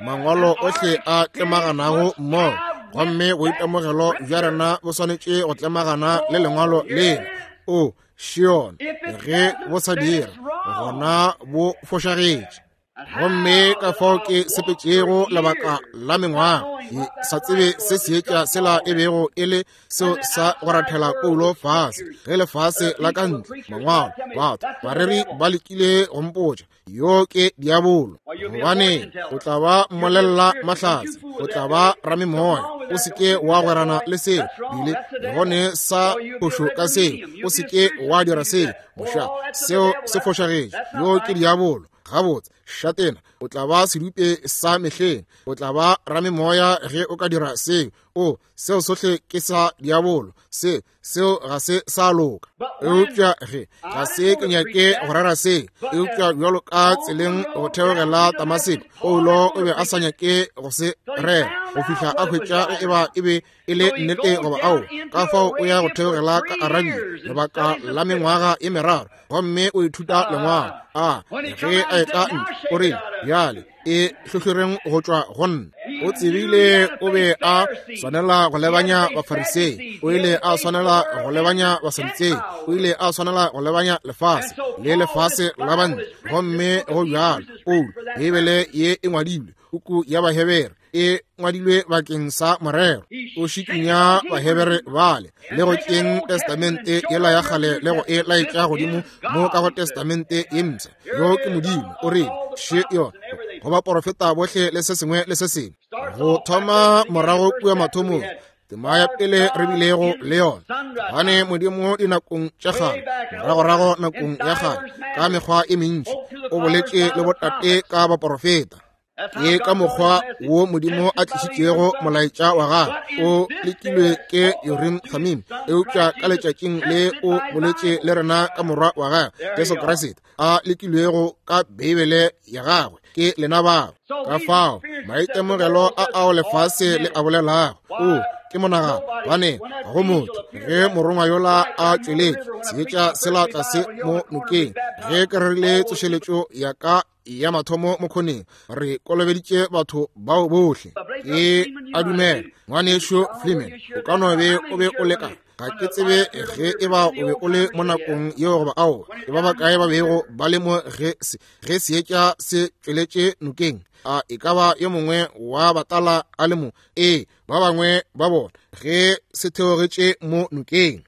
S1: mangwalo ohle a tlemaganago mmogo, gomme boitemogelo bja rena bo swanetše go tlemagana le lengwalo lela. O Shion, ge bo sa dira, gona bo fošagetše. Gomme ka fao ke sepetšego lebaka la mengwaga, ke sa tsebe se seetša sela e bego e le seo sa go rathela Paulo fase, ge lefase la ka ntle, mangwalo, batho, bareri ba lekile go mpotša, yo ke diabolo, gobane o tla ba mmolella mahlatse, o tla ba ramemoya, o se ke wa gwerana le seo, bile gone sa phošo ka seo, o se ke wa dira seo, moša, seo se fošagetše, yo ke diabolo. Gabotse, šatena, o tla ba sedupe sa mehleng, o tla ba ramemoya ge o ka dira seo. O, seo sohle ke sa diabolo, se seo ga se sa loka. Eupša ge ga se ke nyake go rera se, eupša bjalo ka tseleng go theogela Damaseko, Paulo o be a sa nyake go se rera go fihla a hwetša ge eba e be e le nnete goba ao. Ka fao o ya go theogela ka Arabia lebaka la mengwaga e meraro, gomme o ithuta lengwalo. A ge a etla ntle, o rile, bjale e hlohloreng go tšwa go nna. O tsebile o be a swanela go lebanya Bafarisei, o ile a swanela go lebanya Basadutsei, o ile a swanela go lebanya lefase le lefase la bantle. Gomme go bjalo, Paulo, Beibele ye e ngwadilwe, puku ya Bahebere e ngwadilwe bakeng sa morero. O šikinya Bahebere bale le go tšeng testamente yela ya kgale le go e laetša godimo mo ka go testamente ye mpsha. Yo ke Modimo, o rile, še yona go baporofeta bohle le se sengwe le se sengwe. Go thoma morago kua mathomong, tema ya pele re bilego le yona, gobane Modimo dinakong tša kgale, moragorago nakong ya kgale, ka mekgwa e mentši o boletše le botate ka baporofeta. Ke ka mokgwa wo Modimo a tlišitšego molaetša wa gagwe, o lekilwe ke Urim Thummim, eupša ka letšatšing le o boletše le rena ka morwa wa gagwe Jesu Kriste, a lekilwego ka Beibele ya gagwe ke lena bao. Ka fao maitemogelo a ao lefase le a bolelago, o ke monagano, gobane ga go motho ge morongwa yola a tšweletše seetša sela tlase mo nokeng, ge ke rerile tsošeletšo ya ka ya mathomo mokgoneng, re kolobeditše batho bao bohle. Ke a dumela ngwanešo Fleeman, o ka no be o be o leka, ga ke tsebe ge e ba o be o le mo nakong yeo goba aowa, e ba bakae ba bego ba le mo ge ge seetša se tšweletše nokeng. A e ka ba yo mongwe wa batala a le mo? Ee, ba bangwe ba bona ge se theogetše mo nokeng,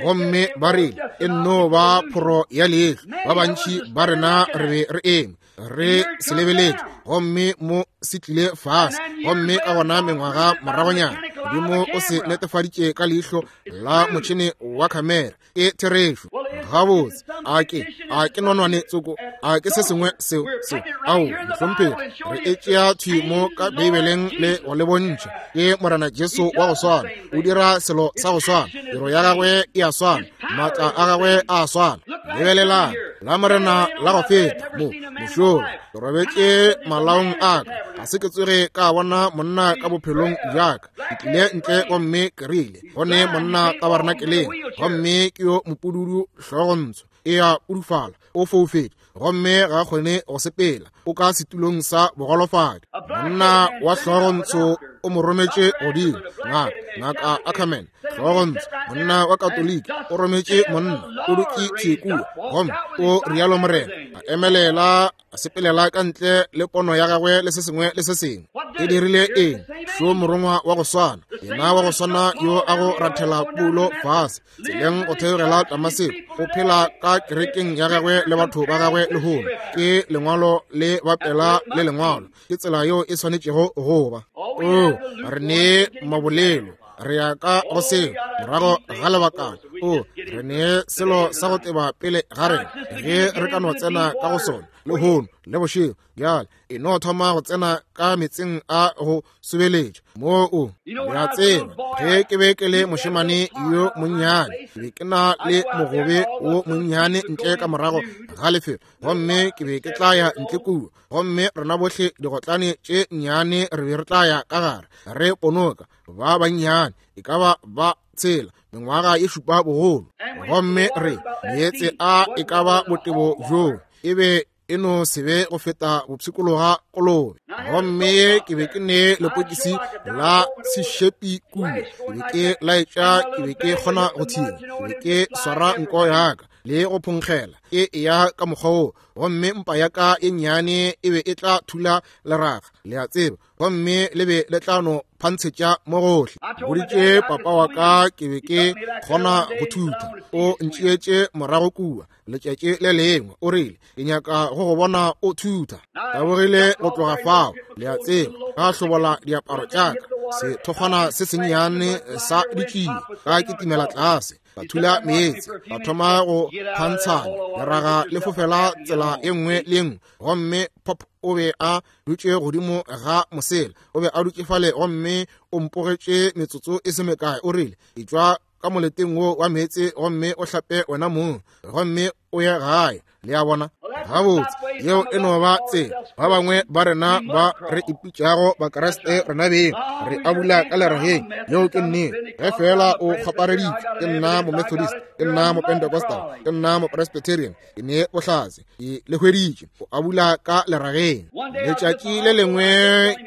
S1: gomme ba rile e nno ba phoro ya leihlo. Ba bantši ba rena re be re eme re se lebeletše, gomme mo se tlile fase. Gomme ka gona mengwaga moragonyana, Modimo o se netefaditše ka leihlo la motšhene wa khamera. Ke therešo. Gabotse, a ke a ke nonwane tsoko, a ke se sengwe seo seo ao mohlomphegi, re e tšea thwi mo ka Beibeleng le go le bontšha. Ke Morena Jesu wa go swana, o dira selo sa go swana, tiro ya gagwe e a swana, maatla a gagwe a swana. Lebelelang la Morena la go feta mo mošola, ke robetše malaong a ka, ga se ke tsoge ka bona monna ka bophelong bjaka. Ke tlile ntle gomme ke rile, gone monna tabernakeleng, gomme ke yo mopududu hlogontsho, e a pudufala, o foufetše, gomme ga kgone go sepela, o ka setulong sa bogolofadi. Monna wa hlogontsho o mo rometše godimo, ngaka ngaka Ackerman, hlogontsho, monna wa Katoliki o rometše monna, o dutše thwi kua, gomme o rialo Morena, a emelela A sepelela ka ntle le pono ya gagwe le se sengwe le se sengwe. E dirile eng? Šo morongwa wa go swana, yena wa go swana yo a go rathela Paulo fase tseleng go theogela Damaseko, o phela ka kerekeng ya gagwe le batho ba gagwe lehono. Ke lengwalo le bapela le lengwalo, ke tsela yeo e swanetšego go ba. O re ne mabolelo, re ya ka go seo morago ga lebakana. O re ne selo sa go teba pele ga rena ge re ka no tsena ka go sona lehono le bošego. Bjale e no thoma go tsena ka metseng a go sobeletša moo o ya tseba. Ge ke be ke le mošemane yo monnyane, ke be ke na le mogobe wo monnyane ntle ka morago ga lefelo, gomme ke be ke tla ya ntle kua, gomme rena bohle digotlane tše nnyane re be re tla ya ka gare re ponoka ba bannyane, e ka ba ba tshela mengwaga ye šupa bogolo, gomme re meetse a e ka ba botebo bjoo e be e no se be go feta bopshikologa kolobe. Gomme ke be ke ne lepokisi la sešepi kua, ke be ke laetša, ke be ke kgona go thinya, ke be ke swara nko yaka le go phonkgela e ya ka mokgwa wo, gomme mpa ya ka e nnyane e be e tla thula leraga, le a tseba, gomme le be le tla no phantshetša mo gohle. Boditše papa wa ka ke be ke kgona go thutha, o ntšeetše morago kua letšatši le lengwe, o rile ke nyaka go go bona o thutha. Tabogile go tloga fao, le a tseba, ka hlobola diaparo tša ka, sethokgwana se sennyane sa ditšie, ka kitimela tlase, ka thula meetse, ka thoma go phantshanya leraga le fofela tsela e nngwe le nngwe, gomme pop o be a dutše godimo ga mosela, o be a dutše fale gomme o mpogetše metsotso e se mekae. O rile etšwa ka moleteng wo wa meetse gomme o hlape wena mong, gomme o ye gae. Le a bona? Gabotse, yeo e no ba tsela ba bangwe ba rena ba re ipitšago Bakriste rena beng, re abula ka lerageng. Yeo ke nnete. Ge fela o kgwapareditše, ke nna Momethodist, ke nna Mopentecostal, ke nna Mopresbyterian, ke ne bohlatse, ke le hweditše, o abula ka lerageng. Letšatši le lengwe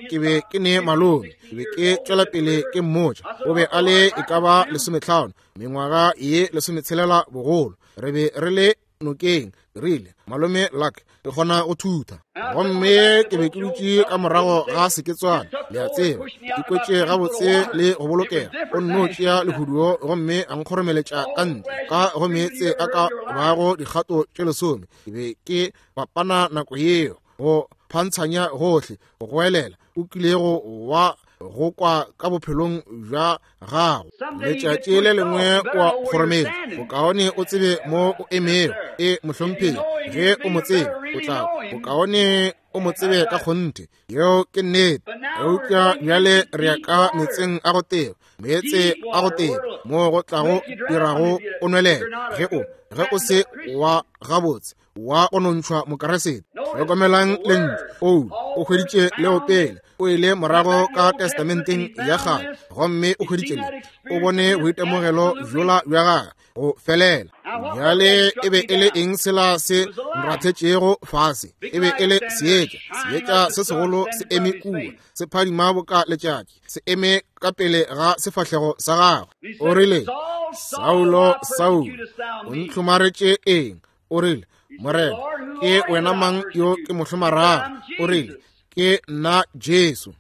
S1: ke be ke ne malome, ke be ke tšwela pele ke mmotša, o be a le e ka ba lesometlhano, mengwaga ye lesometshelela bogolo, re be re le nokeng. Rile malome Luck, ke kgona go thutha. Gomme ke be ke dutše ka morago ga seketswana, le a tseba, ke kwetše gabotse le go bolokega. O nno tšea lehuduo gomme a nkgoromeletša ka ntle ka go meetse a ka bago dikgato tše lesome. Ke be ke bapana nako yeo go phantshanya gohle, go goelela o kilego wa go kwa ka bophelong bja gago. Letšatši le lengwe o a kgorometša, bokaone o tsebe mo o emego. E mohlomphegi, ge o mo tsebe o tla, bokaone o mo tsebe ka kgonthe. Yeo ke nnete. Eupša bjale re ya ka metseng a go teba, meetse a go teba mo go tlago dirago o nwelela ge o ge o se wa gabotse wa go nontšhwa Mokeresete. Hlokomelang lentšu Paulo o hweditše leo pele, o ile morago ka testamenteng ya kgale gomme o hweditše le, o bone boitemogelo bjola bja gagwe go felela. Bjale e be e le eng sela se nrathetšego fase? E be e le seetša, seetša se segolo se eme kua, se phadima boka letšatši, se eme ka pele ga sefahlego sa gagwe. O rile, Saulo, Saulo, o ntlhomaretše eng? O rile, Morena, ke wena mang yo ke mo hlomarago? O rile, ke nna Jesu.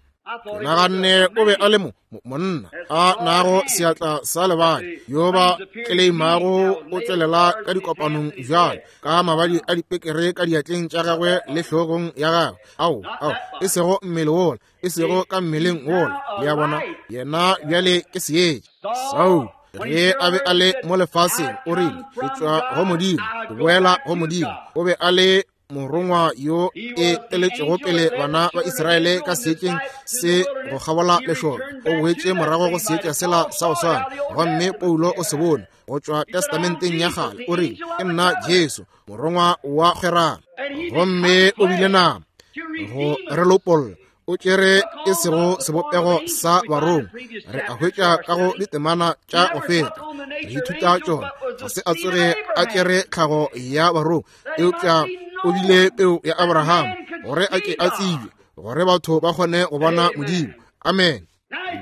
S1: Ke naganne o be a le mo monna a nago seatla sa lebadi yo ba tleleimago o tšwelela ka dikopanong bjalo ka mabadi a dipekere ka diatleng tša gagwe le hlogong ya gagwe. Ao, ao, e sego mmele wola, e sego ka mmeleng wola. Le a bona, yena bjale ke seetša. Saulo ge a be a le mo lefaseng, o rile, ke tšwa go Modimo, ke boela go Modimo. O be a le morongwa yo e eletšego pele bana ba Israele ka seetšeng se go kgabola lešoka. O boetše morago go seetša sela sa go swana, gomme Paulo o se bone go tšwa testamenteng ya kgale. O rile, ke nna Jesu, morongwa wa kgwerano. Gomme o bile nama go re lopolla, o tšere e sego sebopego sa barongwa. Re a hwetša ka go ditemana tša go feta, re ithuta tšona. Ga se a tsoge a tšere tlhago ya barongwa, eupša o bile peo ya Abraham gore a ke a tsebje, gore batho ba kgone go bona Modimo. Amen.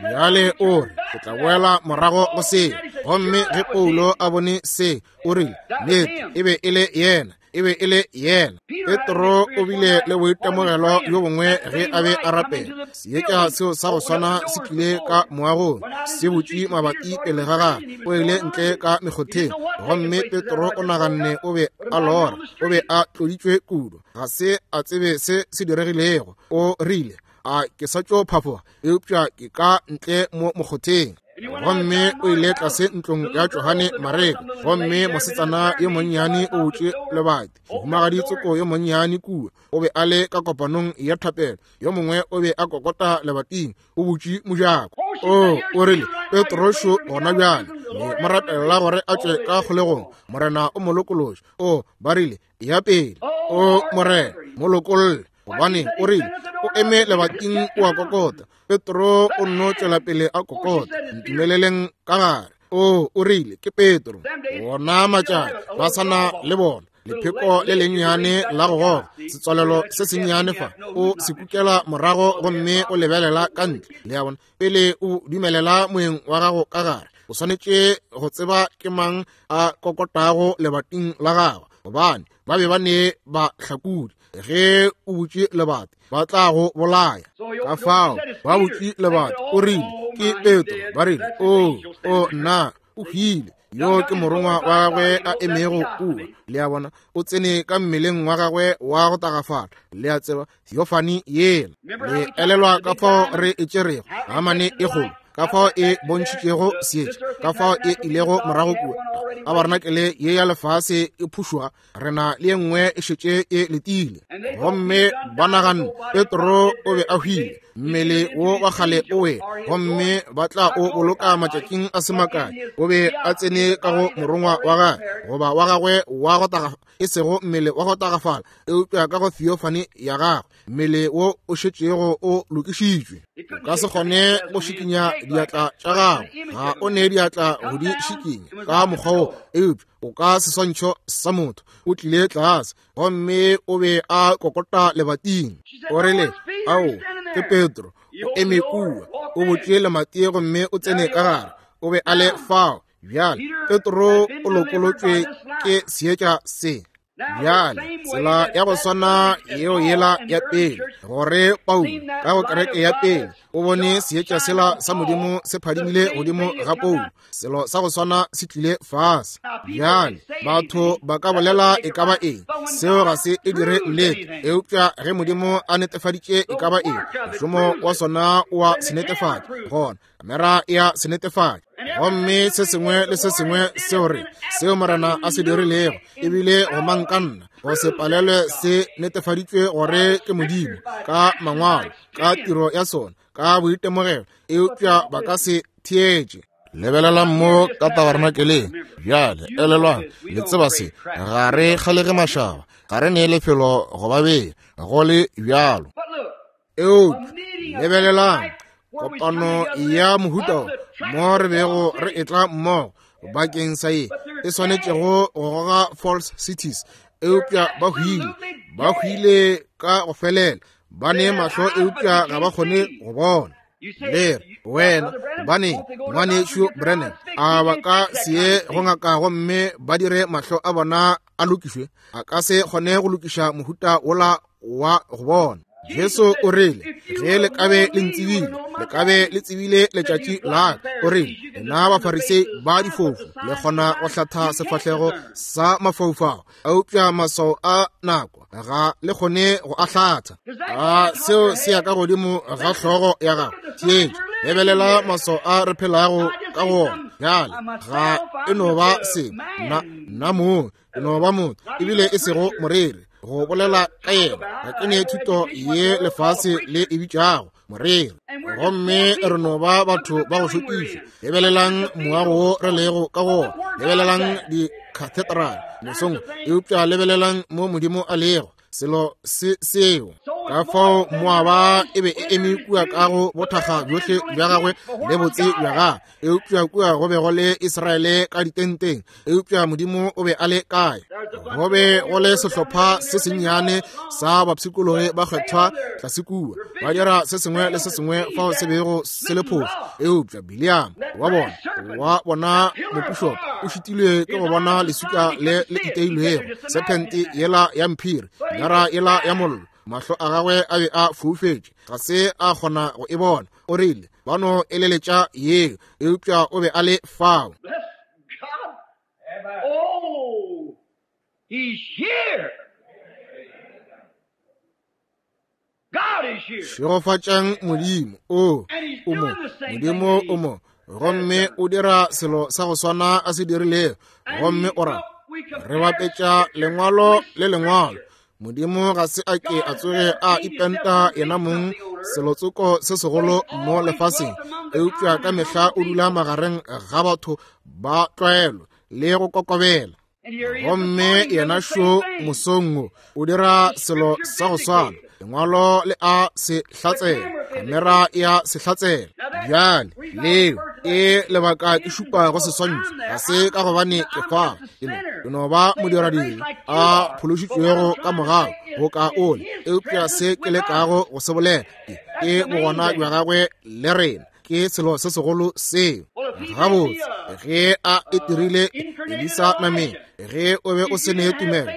S1: Bjale o re, ke tla boela morago go se. Gomme ge Paulo a bone se, o rile, nnete e be e le yena. E be e le yena. Petro o bile le boitemogelo bjo bongwe ge a be a rapela. Seetša seo sa go swana se tlile ka moagong, se butše mabati pele ga gagwe. O ile ntle ka mekgotheng, gomme Petro o naganne o be a lora, o be a tloditšwe kudu, ga se a tsebe se se diregilego. O rile, a ke sa tšo phafoga, eupša ke ka ntle mo mokgotheng. Gomme o ile tlase ntlong ya Johane Mareko, gomme mosetsana yo monnyane o butše lebati. Mohumagadi tsoko yo monnyane kua o be a le ka kopanong ya thapelo, yo mongwe o be a kokota lebating, o butše mojako. O o rile, Petro šo gona bjale, le mo rapelela gore a tšwe ka kgolegong, Morena o mo lokološe. O ba rile, ya pele. O Morena, mo lokolle. Gobane o rile, o eme lebating o a kokota. Petro o nno tšwela pele a kokota, ntumeleleng ka gare. O o rile, ke Petro. Bona matšatši ba sana le bona lepheko le lennyane la go goga, setswalelo se sennyane fa, o se kukela morago gomme o lebelela ka ntle. Le a bona, pele o dumelela moeng wa gago ka gare, o swanetše go tseba ke mang a kokotago lebating la gagwe, gobane ba be ba ne ba hlakodi. Ge o butše lebati, ba tla go bolaya. Ka fao ba butše lebati, o rile, ke Petro. Ba rile, o o nna, o hwile. Yo ke morongwa wa gagwe a emego kua. Le a bona, o tsene ka mmeleng wa gagwe wa go tagafala. Le a tseba, theophany yela. Le elelwa ka fao re e tšerego hamane e kgolo, ka fao e bontšhitšego seetša, ka fao e ilego morago kua. Tabarenakele ye ya lefase e phušoga, re na le ye nngwe e šetše e letile. Gomme ba naganne Petro o be a hwile, mmele wo wa kgale o wele, gomme ba tla o boloka matšatšing a se makae. O be a tsene ka go morongwa wa gagwe, goba wa gagwe wa go tagafala, e sego mmele wa go tagafala, eupša ka go theophany ya gagwe, mmele wo o šetšego o lokišitšwe. O ka se kgone go šikinya diatla tša gago, ga o ne diatla go di šikinya ka mokgwa wo, eupša o ka seswantšho sa motho. O tlile tlase gomme o be a kokota lebating. O rile, ao, ke Petro, o eme kua, o butše lemati gomme o tsene ka gare. O be a le fao. Bjale Petro o lokolotšwe ke seetša se. Bjale tsela ya go swana yeo yela ya pele, gore Paulo ka go kereke ya pele o bone seetša sela sa Modimo se phadimile godimo ga Paulo, selo sa go swana se tlile fase. Bjale batho ba ka bolela e ka ba eng, seo ga se e dire nnete, eupša ge Modimo a netefaditše e ka ba eng, mošomo wa sona o a se netefatša, gona kamera ya se netefatša. Gomme se sengwe le se sengwe seo re seo Morena a se dirilego, ebile go mankanna go se palelwe, se netefaditšwe gore ke Modimo ka mangwalo, ka tiro ya sona, ka boitemogelo, eupša ba ka se theetše. Lebelelang mo ka tabernakeleng. Bjale elelwang, le tseba se, ga re kgalege mašaba, ga re nee lefelo go ba bea, go le bjalo. Eupša lebelelang kopano ya mohuta mo re bego re etla mmogo bakeng sa ye e swanetšego go goga Falls Cities, eupša ba hwile, ba hwile ka go felela, ba ne mahlo eupša ga ba kgone go bona. Le re, wena, gobane ngwanešu Branham, a ba ka se ye go ngaka gomme ba dire mahlo a bona a lokišwe? A ka se kgone go lokiša mohuta wola wa go bona. Jesu o rile, ge le kabe le ntsebile, le kabe le tsebile letšatši la ka. O rile, lena Bafarisei ba difofu, le kgona go hlatha sefahlego sa mafaufau, eupša maswao a nako ga le kgone go a hlatha. A seo se ya ka godimo ga hlogo ya gago. Theetša, lebelela maswao a re phelago ka go ona bjale. Ga e no ba se nna, nna mong e no ba motho, ebile e sego moreri go bolela ka yena. Ga ke ne thuto ye lefase le e bitšago moreri, gomme re no ba batho ba go šokiša. Lebelelang moago wo re lego ka go ona, lebelelang di-cathedral mesong, eupša lebelelang mo Modimo a lego, selo se seo. Ka fao Moaba e be e eme kua ka go bothakga bjohle bja gagwe le botse bja gagwe, eupša kua go be go le Israele ka ditenteng. Eupša Modimo o be a le kae? Go be go le sehlopha se sennyane sa bapshikologi ba kgethwa tlase kua, ba dira se sengwe le se sengwe fao se bego se le phošo. Eupša Biliam wa bona wa bona mopišopo o šitilwe ke go bona leswika le le iteilwego, sephente yela ya mphiri, nyara yela ya mollo. Mahlo a gagwe a be a foufetše, ga se a kgona go e bona. O rile ba no eleletša yeo, eupša o be a le fao.
S2: Oh, he's here. God is here.
S1: Šegofatšang Modimo. O o mo, Modimo o mo, gomme o dira selo sa go swana a se dirilego. Gomme o ra re bapetša lengwalo le lengwalo. Modimo ga se a ke a tsoge a ipenta yena mong selotsoko se segolo mo lefaseng, eupša ka mehla o dula magareng ga batho ba tlwaelo le go kokobela. Gomme yena šo mosong wo o dira selo sa go swana. Lengwalo le a se hlatsela, kamera ya se hlatsela. Bjale leo e lebaka ke šupa go seswantšho, ga se ka gobane ke fa, ke no ke no ba modiradiri a phološitšwego ka mogau go ka ole, eupša se ke lekago go se bolela ke bogona bja gagwe le rena. Ke selo se segolo seo. Gabotse ge a e dirile Elisa nameng, ge o be o se ne tumelo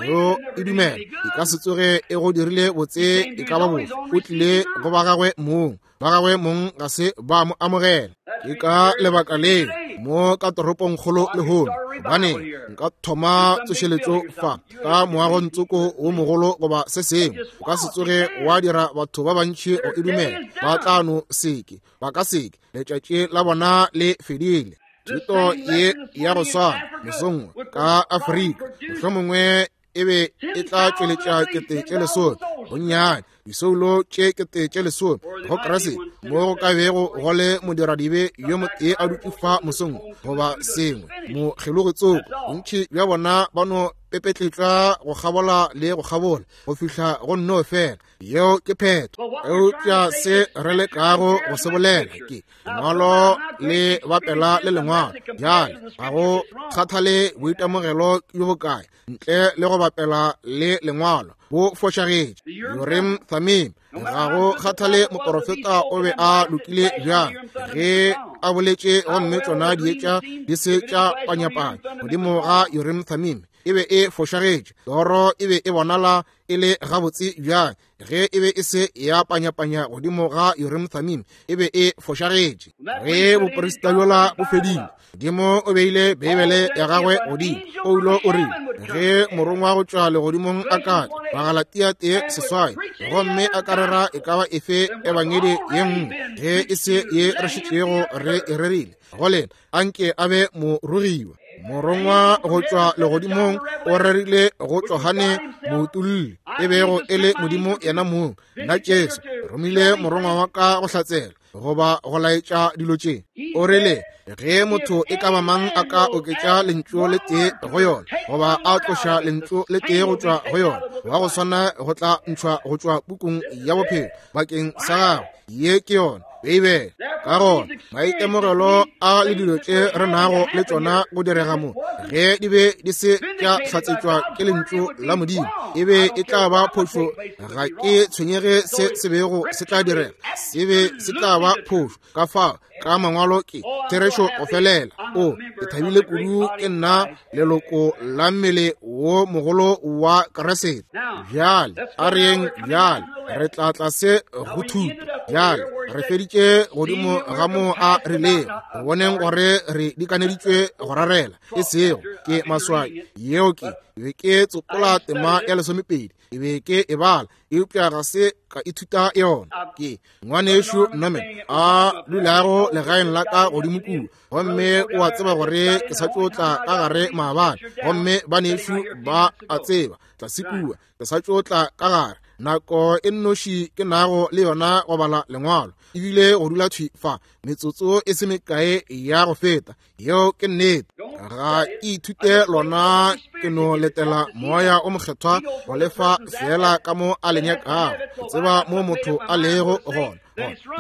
S1: go e dumela, e ka se tsoge e go dirile botse e ka ba bofe. O tlile go ba gagwe mong, ba gagwe mong ga se ba mo amogela. Ke ka lebaka leo mo ka toropongkgolo lehono, gobane nka thoma tsošeletšo fa ka moagontsoko wo mogolo goba se sengwe, o ka se tsoge wa dira batho ba bantši go e dumela. Ba tla no seke, ba ka seke, letšatši la bona le fedile. Thuto ye ya go swana mosong ka Afrika mohlomongwe e be e tla tšweletša kete tše lesome, bonnyane disoulo tše kete tše lesome go Kriste, mo go ka bego go le modiradibe yo motee a dutše fa mosong goba sengwe mokgelogetsoko. Bontši bja bona ba no pepetletšwa go kgabola le go kgabola go fihla go nno fela. Yeo ke phetho. Eupša se re lekago go se bolela ke lengwalo le bapela le lengwalo. Bjale ga go kgathale boitemogelo bjo bokae ntle le go bapela le lengwalo bo fošagetše. Urim Thummim, ga go kgathale moporofeta o be a lokile bjang ge a boletše, gomme tšona dietša di se tša panyapanya godimo ga Urim Thummim, e be e fošagetše. Toro e be e bonala e le gabotse bjang ge e be e se ya panyapanya godimo ga Urim Thummim, e be e fošagetše. Ge boporista bjola bo fedile, Modimo o beile Beibele ya gagwe godimo. Paulo o rile ge morongwa go tšwa legodimong a ka tla, Bagalatia tee seswai, gomme a ka rera e ka ba efe ebangedi ye nngwe ge e se ye re šetšego re e rerile go lena, anke a be morogiwa. Morongwa go tšwa legodimong o rerile go Johane moutulli, e bego e le Modimo yena mong. Nna Jesu romile morongwa wa ka go hlatsela goba go laetša dilo tše. O rile ge motho e ka ba mang a ka oketša lentšu le tee go yona goba a tloša lentšu le tee go tšwa go yona, wa go swana go tla ntšhwa go tšwa pukung ya bophelo bakeng sa gagwe. Ye ke yona Beibele. Ka gona maitemogelo a le dilo tše re nago le tšona go direga mo, ge di be di se tša hlatsetšwa ke lentšu la Modimo, e be e tla ba phošo. Ga ke tshwenyege se se bego se tla direga, se be se tla ba phošo. Ka fao ka mangwalo ke therešo go felela. O ke thabile kudu ke nna leloko la mmele wo mogolo wa Kriste. Bjale a reng bjale re tla tlase go thuto. Bjale re feditše godimo ga mo a rilego go boneng gore re dikaneditšwe go rarela, e sego ke maswai. Yeo ke be ke tsopola tema ya lesomepedi, e be ke e bala, eupša ga se ka ithuta yona. Ke ngwanešu Norman a dulago legaeng la ka godimo kua, gomme o a tseba gore ke sa tšo tla ka gare maabane, gomme banešu ba a tseba tlase kua ke sa tšo tla ka gare. Nako e nnoši ke nago le yona go bala lengwalo ebile go dula thwi fa metsotso e se mekae ya go feta. Yeo ke nnete. Ga ke ithute lona ke no letela Moya o Mokgethwa go lefa fela ka mo a le nyakago, go tseba mo motho a lego gona,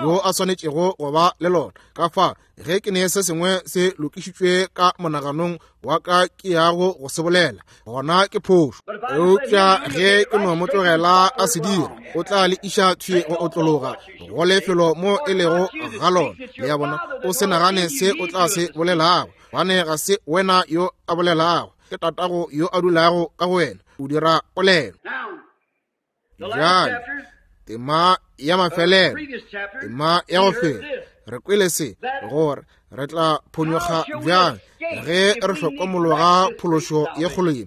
S1: yo a swanetšego go ba le lona. Ka fa ge ke ne se sengwe se lokišitšwe ka monaganong wa ka ke yago go se bolela, gona ke phošo. Eupša ge ke no mo tlogela a se dira, o tla le iša thwi go otlologa go lefelo mo e lego ga lona. Le a bona, o se nagane se o tla se bolelago, gobane ga se wena yo a bolelago, ke Tatago yo a dulago ka go wena, o dira polelo. Bjale tema ya mafelelo, tema ya go fela, re kwele se, gore re tla phonyokga bjang ge re hlokomologa phološo ye kgolo ye,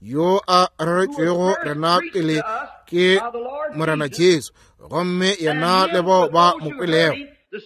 S1: yo a reretšwego rena pele ke Morena Jesu, gomme yena le bao ba mo kwelego.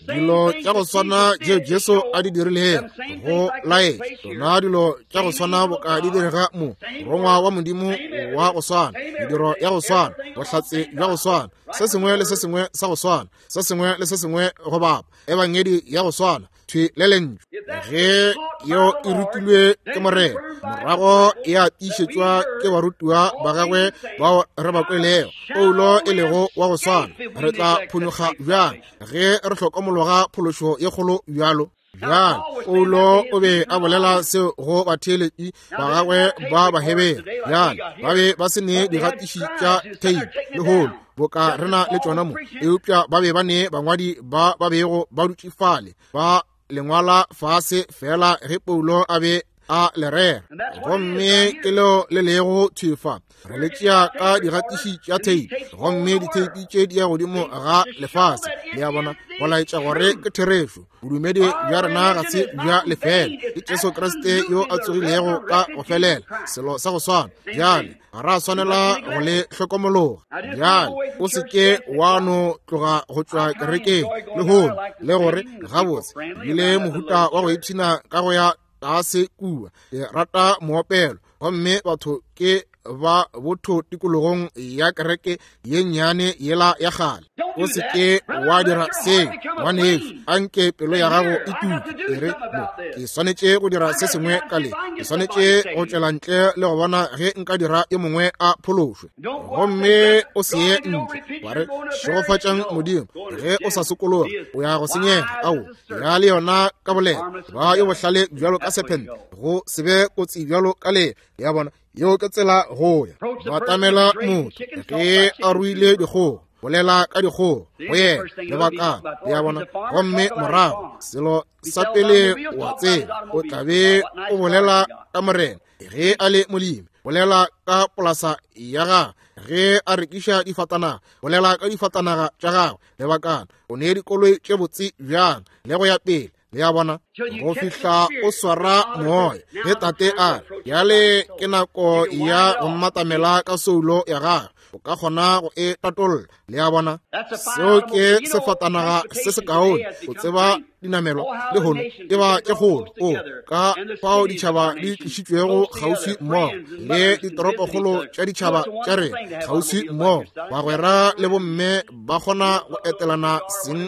S1: Dilo tša go swana tšeo Jesu a di dirilego go laetša tšona dilo tša go swana boka di direga mo, morongwa wa Modimo wa go swana, mediro ya go swana, bohlatse bja go swana, se sengwe le se sengwe sa go swana, se sengwe le se sengwe go bapa, ebangedi ya go swana, thwi le lentšu. Ge yeo e rutilwe ke Morena, morago ya tiišetšwa ke barutiwa ba gagwe bao re ba kwelego, Paulo e lego wa go swana, re tla phonyokga bjang ge re hlokomologa phološo ye kgolo bjalo? Bjale Paulo o be a bolela seo go batheeletši ba gagwe ba Bahebere. Bjale ba be ba se ne digatiši tša theipi lehono boka re na le tšona mo, eupša ba be ba ne bangwadi ba ba bego ba dutše fale ba lengwala fase fela ge Paulo a be a le rera. Gomme ke leo le lego thwi fa, re le tšea ka digatiši tša theipi, gomme ditheipi tše di ya godimo ga lefase. Le a bona, go laetša gore ke therešo. Bodumedi bja rena ga se bja lefela, ke Jesu Kriste yo a tsogilego ka go felela, selo sa go swana. Bjale ga ra swanela go le hlokomologa. Bjale o se ke wa no tloga go tšwa kerekeng lehono le gore gabotse bile mohuta wa go ipshina ka go ya tlase kua, ke rata moopelo, gomme batho ke ba botho tikologong ya kereke ye nnyane yela ya kgale. O se ke wa dira seo, ngwanešu. Anke pelo ya gago e tuke, e re, mo ke swanetše go dira se sengwe ka le, ke swanetše go tšwela ntle le go bona ge nka dira yo mongwe a phološwe. Gomme o se ye ntle wa re, šegofatšang Modimo, ge o sa sokologa o ya go senyega. Ao, ya le yona ka bolela, ba yo bohlale bjalo ka sephente, go se be kotsi bjalo ka le. Ya bona, yeo ke tsela go ya. Batamela motho ge a ruile dikgogo, bolela ka dikgogo go yena lebaka. Le a bona, gomme morago selo sa pele wa tseba, o tla be o bolela ka Morena ge a le molemi, bolela ka polasa ya gagwe ge a rekiša difatanaga, bolela ka difatanaga tša gagwe lebakana, o ne dikoloi tše botse bjang, le go ya pele. Le a bona, go fihla o swara moya. Ge tate a re, bjale ke nako ya go mmatamela ka soulo ya gagwe, o ka kgona go e tatolla. Le a bona, seo ke sefatanaga se sekaone. O tseba dinamelwa lehono e ba tše kgolo, o ka fao ditšhaba di tlišitšwego kgauswi mmogo, le ditoropokgolo tša ditšhaba tša rena kgauswi mmogo. Bagwera le bomme ba kgona go etelana seng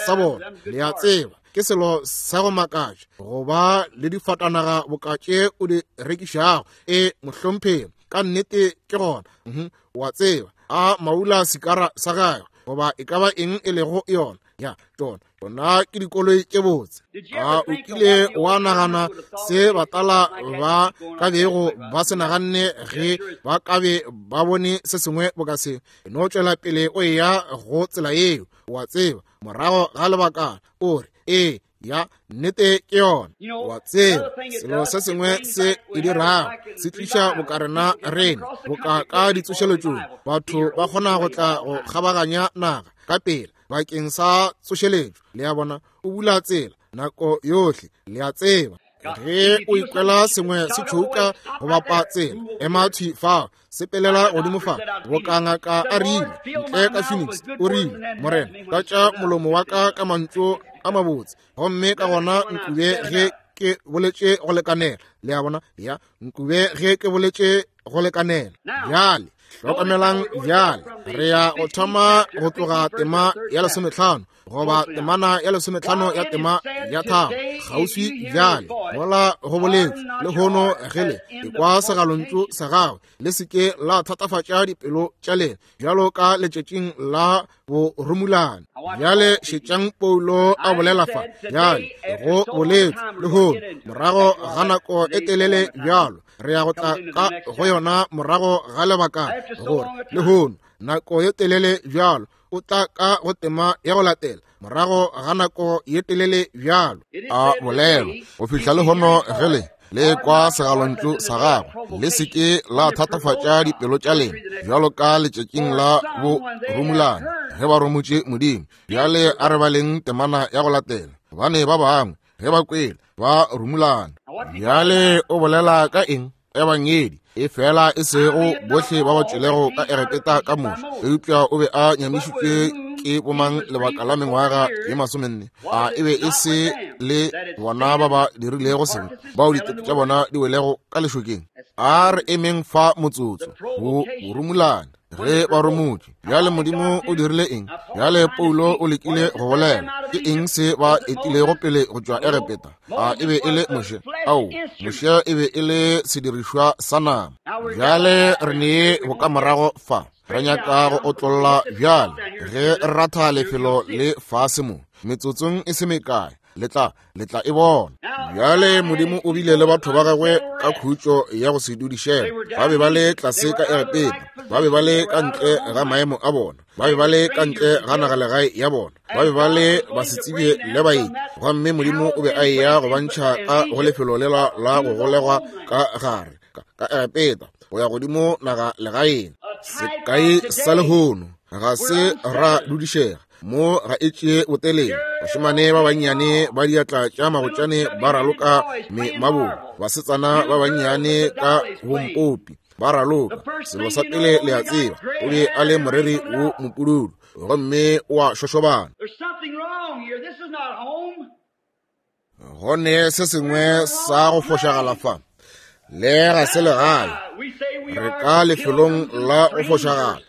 S1: sa bona. Le a tseba, ke selo sa go makatša go ba le difatanaga boka tše o di rekišago. E mohlompheng, ka nnete ke gona. Wa tseba, a maula sikara sa gagwe goba e ka ba eng e lego yona, ya tšona tšona ke dikoloi tše botse. A o kile wa nagana se batala ba ka bego ba se naganne ge ba ka be ba bone se sengwe boka se? No tšwela pele o eya go tsela yeo, wa tseba, morago ga lebakana o re, ee, ya nnete ke yona. Wa tseba, selo se sengwe se e dirago se tliša bokarena rena boka ka ditsošeletšong. Batho ba kgona go tla go kgabaganya naga ka pela bakeng sa tsošeletšo. Le a bona, o bula tsela nako yohle. Le a tseba, ge o ikwela sengwe se tšhouka go bapa tsela, ema thwi fao, sepelela godimo fa. Boka ngaka a rile ntle ka Phoenix, o rile, Morena, tlatša molomo wa ka ka mantšu a mabotse, gomme ka gona nkube ge ke boletše go lekanela. Le a bona, ya nkube ge ke boletše go lekanela. Bjale Hlokamelang bjale, re ya go thoma go tloga tema ya lesometlhano goba temana ya lesometlhano ya tema ya tharo kgauswi bjale. Mola go boletse lehono ge le ekwa segalontšu sa gagwe, le se ke la thatafatša dipelo tša lena bjalo ka letšatšing la borumulane. Bjale šetšang Paulo a bolela fa bjale go boletse lehono morago ga nako e telele bjalo, re ya go tla ka go yona morago ga lebaka gore lehono nako ye telele bjalo o tla ka go tema ya go latela morago ga nako ye telele bjalo. A bolelwa go fihla lehono ge le le kwa segalontšu sa gagwe, le se ke la thatafatša dipelo tša lena bjalo ka letšatšing la borumulane ge ba romotše Modimo. Bjale a re baleng temana ya go latela, gobane ba bangwe ge ba kwele ba rumulana. Bjale o bolela ka eng? Ebangedi e fela e sego bohle ba ba tšwelego ka Egepeta ka Moshe, eupša o be a nyamišitšwe ke bomang lebaka la mengwaga ye masomenne? A e be e se le bona ba ba dirilego sebe, bao ditoto tša bona di welego ka lešokeng? A re emeng fa motsotso go borumulane ge ba romotše. Bjale Modimo o dirile eng? Bjale Paulo o lekile go bolela ke eng se ba etilego pele go tšwa Egepeta? A e be e le Moshe? Ao, Moshe e be e le sedirišwa sa nama. Bjale re nee bokamorago fa, re nyaka go otlolla bjale ge re ratha lefelo le fase mo metsotsong e se mekae, le tla le tla e bona. Bjale Modimo o bile le batho ba gagwe ka khutšo ya go se dudišega. Ba be ba le tlase ka Egepeta, ba be ba le ka ntle ga maemo a bona, ba be ba le ka ntle ga nagalegae ya bona, ba be ba le basetsebje le baeti. Gomme Modimo o be a eya go ba ntšha ka go lefelo lela la go golegwa ka gare ka Egepeta go ya godimo naga legaeng. Sekai sa lehono ga se ra dudišega mo ga e tšee botelele. Bašemane ba bannyane ba diatla tša magotšane ba raloka memabolo, basetsana ba bannyane ka bompopi ba raloka. Selo sa pele le a tseba, o be a le moreri wo mopududu gomme o a šošobana. Go ne se sengwe sa go fošagala fa, le ga se legae, re ka lefelong la go fošagala.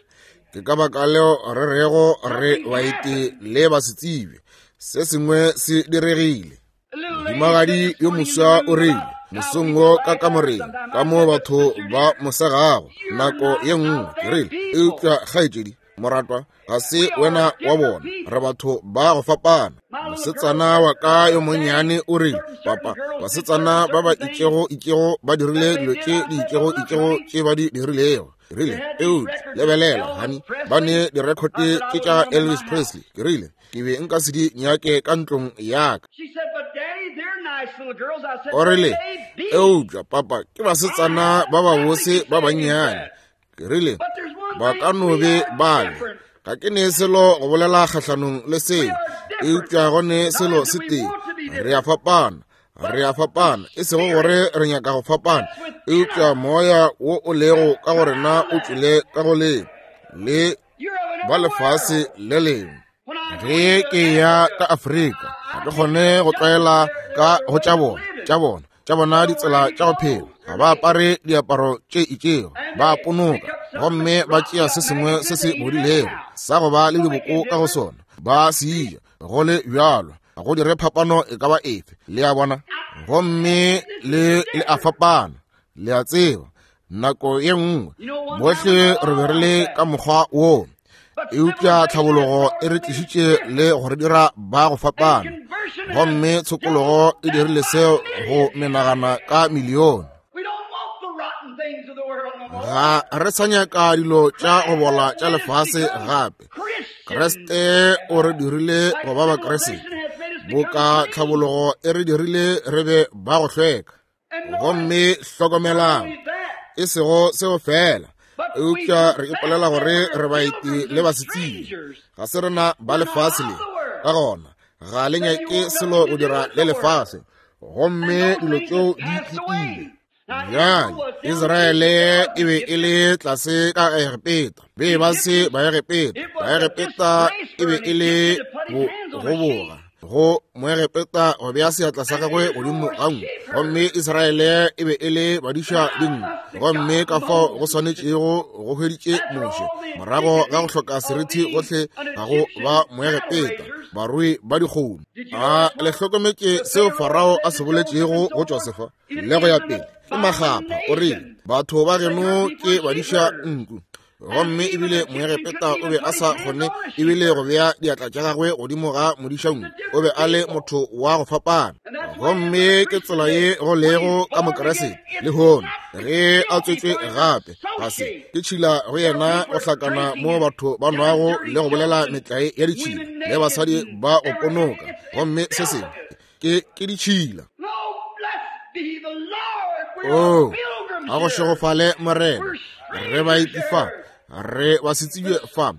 S1: Ke ka baka leo re rego re baeti le basetsebje. Se sengwe se diregile. Mohumagadi yo moswa o rile mosong wo ka kamoreng ka mo batho ba mo segago nako ye nngwe, ke rile, eupša kgaetšedi moratwa, ga se wena wa bona, re batho ba go fapana. Mosetsana wa ka yo monnyane o rile, papa, basetsana ba ba itšego itšego ba dirile dilo tše di itšego itšego tše ba di dirilego. Ke rile, eupša lebelela honey, ba ne direkhote tše tša Elvis Presley. Ke rile, ke be nka se di nyake ka ntlong ya ka. O rile, eupša papa, ke basetsana ba babose ba bannyane. Ke rile, ba ka no be bale, ga ke ne selo go bolela kgahlanong le seo, eupša go ne selo se tee, re a fapana. Re a fapana, e sego gore re nyaka go fapana, eupša moya wo o lego ka go rena o tšwele ka go le le ba lefase le lengwe. Ge ke ya ka Afrika, ga ke kgone go tlwaela ka go tša bona tša bona tša bona ditsela tša go phela. Ga ba apare diaparo tše itšego, ba ponoka gomme ba tšea se sengwe se se bodilego sa go ba le diboko ka go sona, ba se ja go le bjalo, ga go dire phapano e ka ba efe. Le a bona? Gomme le le a fapana, le a tseba. Nako ye nngwe bohle re be re le ka mokgwa wo, eupša tlhabologo e re tlišitše le go re dira ba go fapana, gomme tshokologo e dirile seo go menagana ka milione. Ga re sa nyaka dilo tša go bola tša lefase gape. Kriste o re dirile go ba Bakriste, boka tlhabologo e re dirile re be ba go hlweka. Gomme hlokomelang, e sego seo fela, eupša re ipolela gore re baeti le basetsebje, ga se rena ba lefase le. Ka gona ga le nyake selo go dira le lefase, gomme dilo tšeo di fetile. Bjale Israele e be e le tlase ka Egepeta, be ba se ba Egepeta. Baegepeta e be e le bogoboga,
S3: Go Moegepeta go bea seatla sa gagwe godimo ga nku. Gomme Israele e be e le badiša dinku. Gomme ka fao go swanetšego go hweditše Moshe morago ga go hloka seriti gohle ga go ba Moegepeta, barui ba dikgomo. A le hlokometše seo Farao a se boletšego go Josefa le go ya pele? Ke makgapha, o rile, batho ba geno ke badiša nku. Gomme ebile Moegepeta o be a sa kgone ebile go bea diatla tša gagwe godimo ga modišanku. O be a le motho wa go fapana. Gomme ke tsela ye go lego ka Mokeresete lehono, ge a tswetšwe gape, ga se ke tšhila go yena go hlakana mo batho ba nwago le go bolela metlae ya ditšhila le basadi ba go ponoka. Gomme se sengwe ke ke ditšhila. Oh, a go šegofale Morena, re ba itifa, re ba se tsebje fa,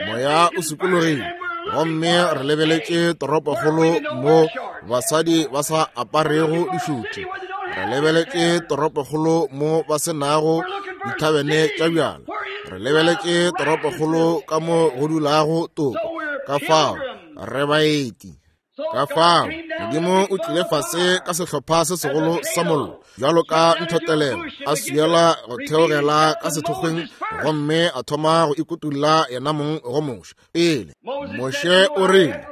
S3: moya o sokologile. Gomme re lebeletše toropokgolo mo basadi ba sa aparego dišuthe. Re lebeletše toropokgolo mo ba se nago dithabene tša bjala. Re lebeletše toropokgolo ka mo go dulago toko. Ka fao re baeti. Ka fao Modimo o tlile fase ka sehlopha se segolo sa mollo, bjalo ka nthotelelo, a swiela go theogela ka sethokgweng, gomme a thoma go ikutulla yena mong go Moshe. Pele Moshe o rile,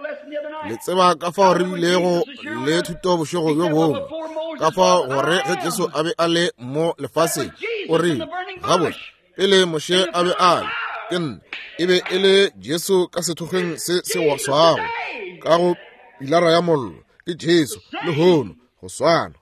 S3: le tseba ka fao re bilego le thuto bošego bjo bongwe, ka fao gore ge Jesu a be a le mo lefaseng, o rile, gabotse, pele Moshe a be a le, ke nna, e be e le Jesu ka sethokgweng se se swago, ka go pilara ya mollo, ke Jesu lehono go swana.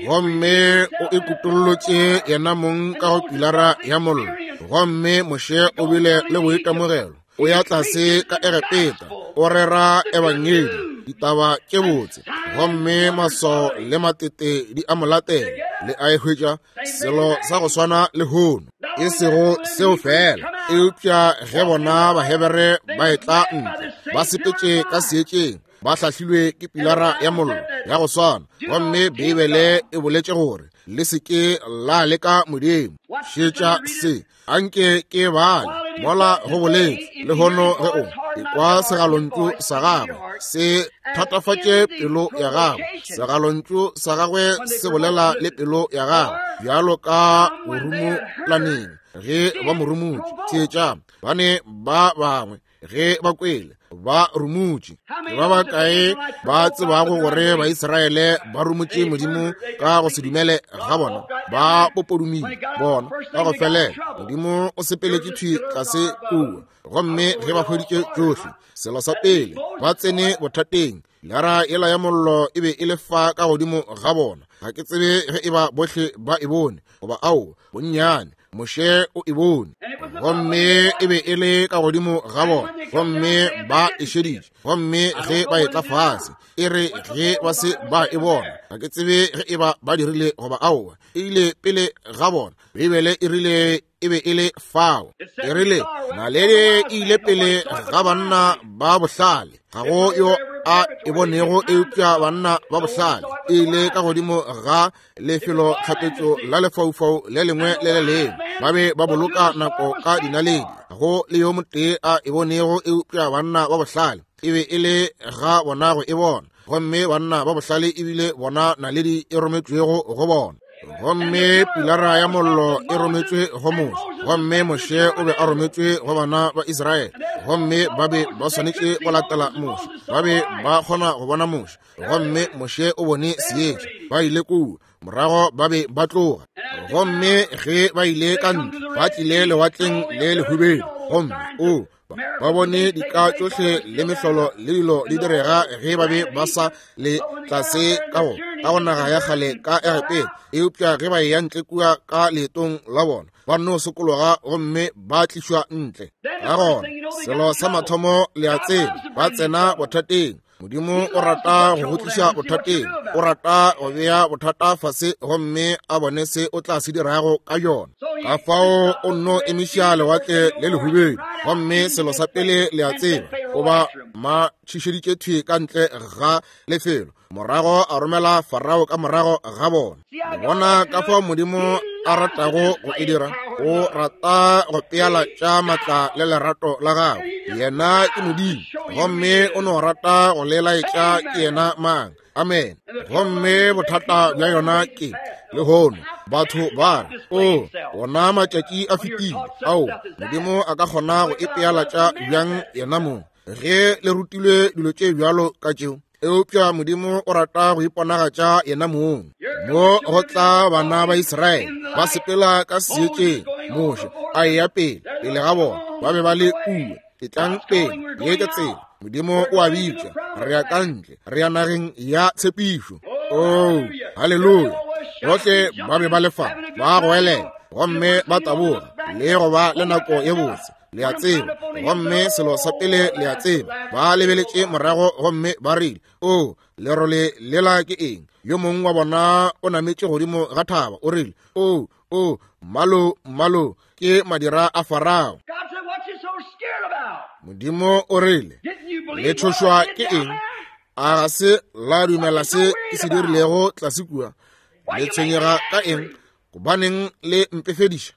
S3: Gomme o ikutollotše yena mong ka go pilara ya mollo. Gomme Moshe o bile le boitemogelo. O ya tlase ka Egepeta, o rera ebangedi, ditaba tše botse. Gomme maswao le matete di a mo latela. Le a e hwetša selo sa go swana lehono. E sego seo fela, eupša ge bona Bahebere ba etla ntle, ba sepetše ka seetšeng, ba hlahlilwe ke pilara ya mollo ya go swana. Gomme Beibele e boletše gore le se ke la leka Modimo. Šetša se, anke ke bale mola go boletše lehono ge o ekwa segalontšu sa gagwe, se thatafatše pelo ya gagwe. Segalontšu sa gagwe se bolela le pelo ya gagwe bjalo ka borumolaneng ge ba mo rumotše. Theetša, ba ne ba bangwe ge ba kwele ba rumotše. Ke ba bakae ba tsebago gore Baisraele ba rumotše Modimo ka go se dumele ga bona? Ba popodumile bona ka go felela. Modimo o sepeletše thwi tlase kua. Gomme ge ba hweditše tšohle, selo sa pele ba tsene bothateng. Lara yela ya mollo e be e le fa ka godimo ga bona. Ga ke tsebe ge e ba bohle ba e bone goba ao, bonnyane Moshe o e bone. Gomme e be e le ka godimo ga bona. Gomme ba e šeditše. Gomme ge ba etla fase, e re ge ba se ba e bona, ga ke tsebe ge e ba ba dirile goba aowa, e ile pele ga bona. Beibele e rile e be e le fao. E rile naledi e ile pele ga banna ba bohlale. Ga go yo a e bonego eupša banna ba bohlale. E ile ka godimo ga lefelo tlhapetšo la lefaufau le lengwe le le lengwe. Ba be ba boloka nako ka dinaledi. Ga go le yo motee a e bonego eupša banna ba bohlale. E be e le ga bona go e bona. Gomme banna ba bohlale ebile bona naledi e rometšwego go bona. Gomme pilara ya mollo e rometšwe go Moshe. Gomme Moshe o be a rometšwe go bana ba Israele. Gomme ba be ba swanetše go latela Moshe. Ba be ba kgona go bona Moshe. Gomme Moshe o bone seetša. Ba ile kua, morago ba be ba tloga. Gomme ge ba ile ka ntle, ba tlile lewatleng le lehubedu. Gomme o ba bone dika tšohle le mehlolo le dilo di direga ge ba be ba sa le tlase ka go ka go naga ya kgale ka Egepeta. Eupša ge ba eya ntle kua ka leetong la bona, ba nno sokologa gomme ba tlišwa ntle. Ka gona selo sa mathomo le a tseba, ba tsena bothateng. Modimo o rata go go tliša bothateng. O rata go bea bothata fase gomme a bone se o tla se dirago ka yona. Ka fao o nno emiša lewatle le lehubedu. Gomme selo sa pele le a tseba, o ba matšhišeditše thwi ka ntle ga lefelo. Morago a romela Farao ka morago ga bona. Bona ka fao Modimo a ratago go e dira. O rata go pealatša matla le lerato la gagwe. Yena ke Modimo, gomme o no rata go le laetša ke yena mang. Amen. Gomme bothata bja yona ke lehono batho ba re, o ona matšatši a fetile. Ao, Modimo a ka kgona go ipealatša bjang yena mong ge le rutilwe dilo tše bjalo ka tšeo? Eupša Modimo o rata go iponagatša yena mong. Mo go tla bana ba Israele ba sepela ka seetšeng, Moshe a eya pele pele ga bona, ba be ba le kua. Etlang pele, ye ke tsela. Modimo o a bitša, re ya ka ntle, re ya nageng ya tshepišo. Oh, haleluya. Bohle ba be ba le fa, ba goelela gomme ba taboga le go ba le nako ye botse, le a tseba. Gomme selo sa pele le a tseba, ba lebeletše morago gomme ba rile, o lerole lela ke eng? Yo mongwe wa bona o nametše godimo ga thaba, o rile, o o mmalo mmalo ke madira a Farao. Modimo o rile, le tšhošwa ke eng? A ga se la dumela se ke se dirilego tlase kua? Le tshwenyega ka eng? Gobaneng le mpefediša?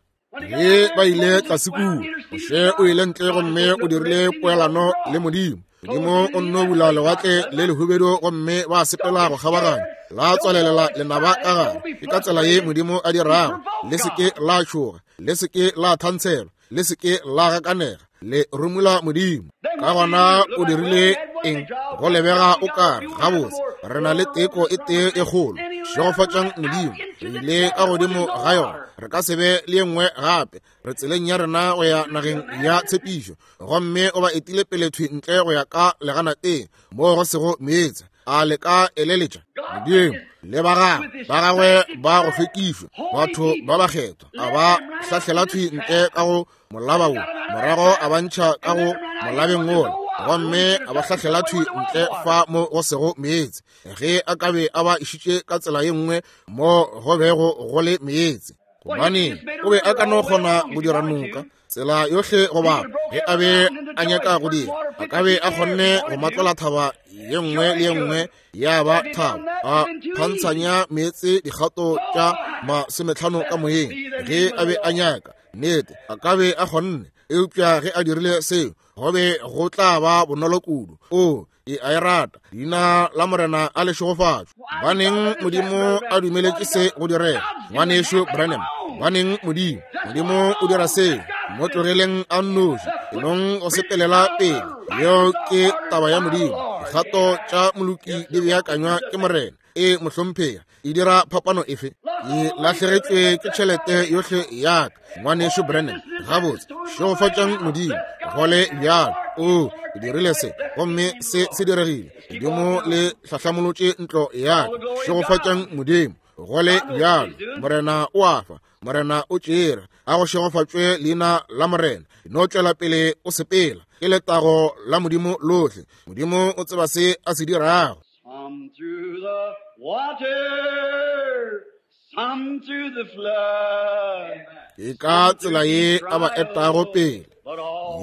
S3: Ge ba ile tlase kua, Moshe o ile ntle gomme o dirile poelano le Modimo. Modimo o nno bula lewatle le lehubedu gomme ba sepela go kgabaganya, la tswalelela lenaba ka gare. Ke ka tsela ye Modimo a dirago. Le se ke la tšhoga, le se ke la thantshelwa, le se ke la gakanega, le rumula Modimo. Ka gona o dirile eng? Go lebega o kare gabotse re na le teko e tee e kgolo. Šegofatšang Modimo, re ile ka godimo ga yona, re ka se be le ye nngwe gape. Re tseleng ya rena go ya nageng ya tshepišo. Gomme o ba etile pele thwi ntle go ya ka leganateng moo go sego meetse. A le ka eleletša Modimo le ba gagwe, ba gagwe ba go hlwekišwa, batho ba bakgethwa, a ba hlahlela thwi ntle ka go molaba wo, morago a ba ntšha ka go molabeng wola, gomme a ba hlahlela thwi ntle fa mo go sego meetse. Ge a ka be a ba išitše ka tsela ye nngwe mo go bego go le meetse, gobane o be a ka no kgona go dira noka tsela yohle go bapa. Ge a be a nyaka go dira, a ka be a kgonne go matlola thaba ye nngwe le ye nngwe ya ba thaba, a phantshanya meetse dikgato tša masometlhano ka moyeng. Ge a be a nyaka nnete, a ka be a kgonne. Eupša ge a dirile seo, go be go tla ba bonolo kudu. O e a e rata, leina la Morena a le šegofatšwe. Baneng Modimo a dumeletše se go direga, ngwanešu Branham? Baneng Modimo? Modimo o dira seo, mo tlogeleng a nnoši, enong go sepelela pele. Yeo ke taba ya Modimo. Dikgato tša moloki di beakanywa ke Morena. E mohlomphega, e dira phapano efe? Ke lahlegetšwe ke tšhelete yohle ya ka, ngwanešu Branham. Gabotse, šegofatšang Modimo, go le bjalo. O ke dirile se, gomme se se diregile. Modimo le hlahlamolotše ntlo ya ka. Šegofatšang Modimo, go le bjalo. Morena o a fa, Morena o tšere. A go šegofatšwe leina la Morena. No tšwela pele o sepela. Ke letago la Modimo lohle. Modimo o tseba se a se dirago.
S2: Some through the water, some through the flood.
S3: Ke ka tsela ye a ba etago pele.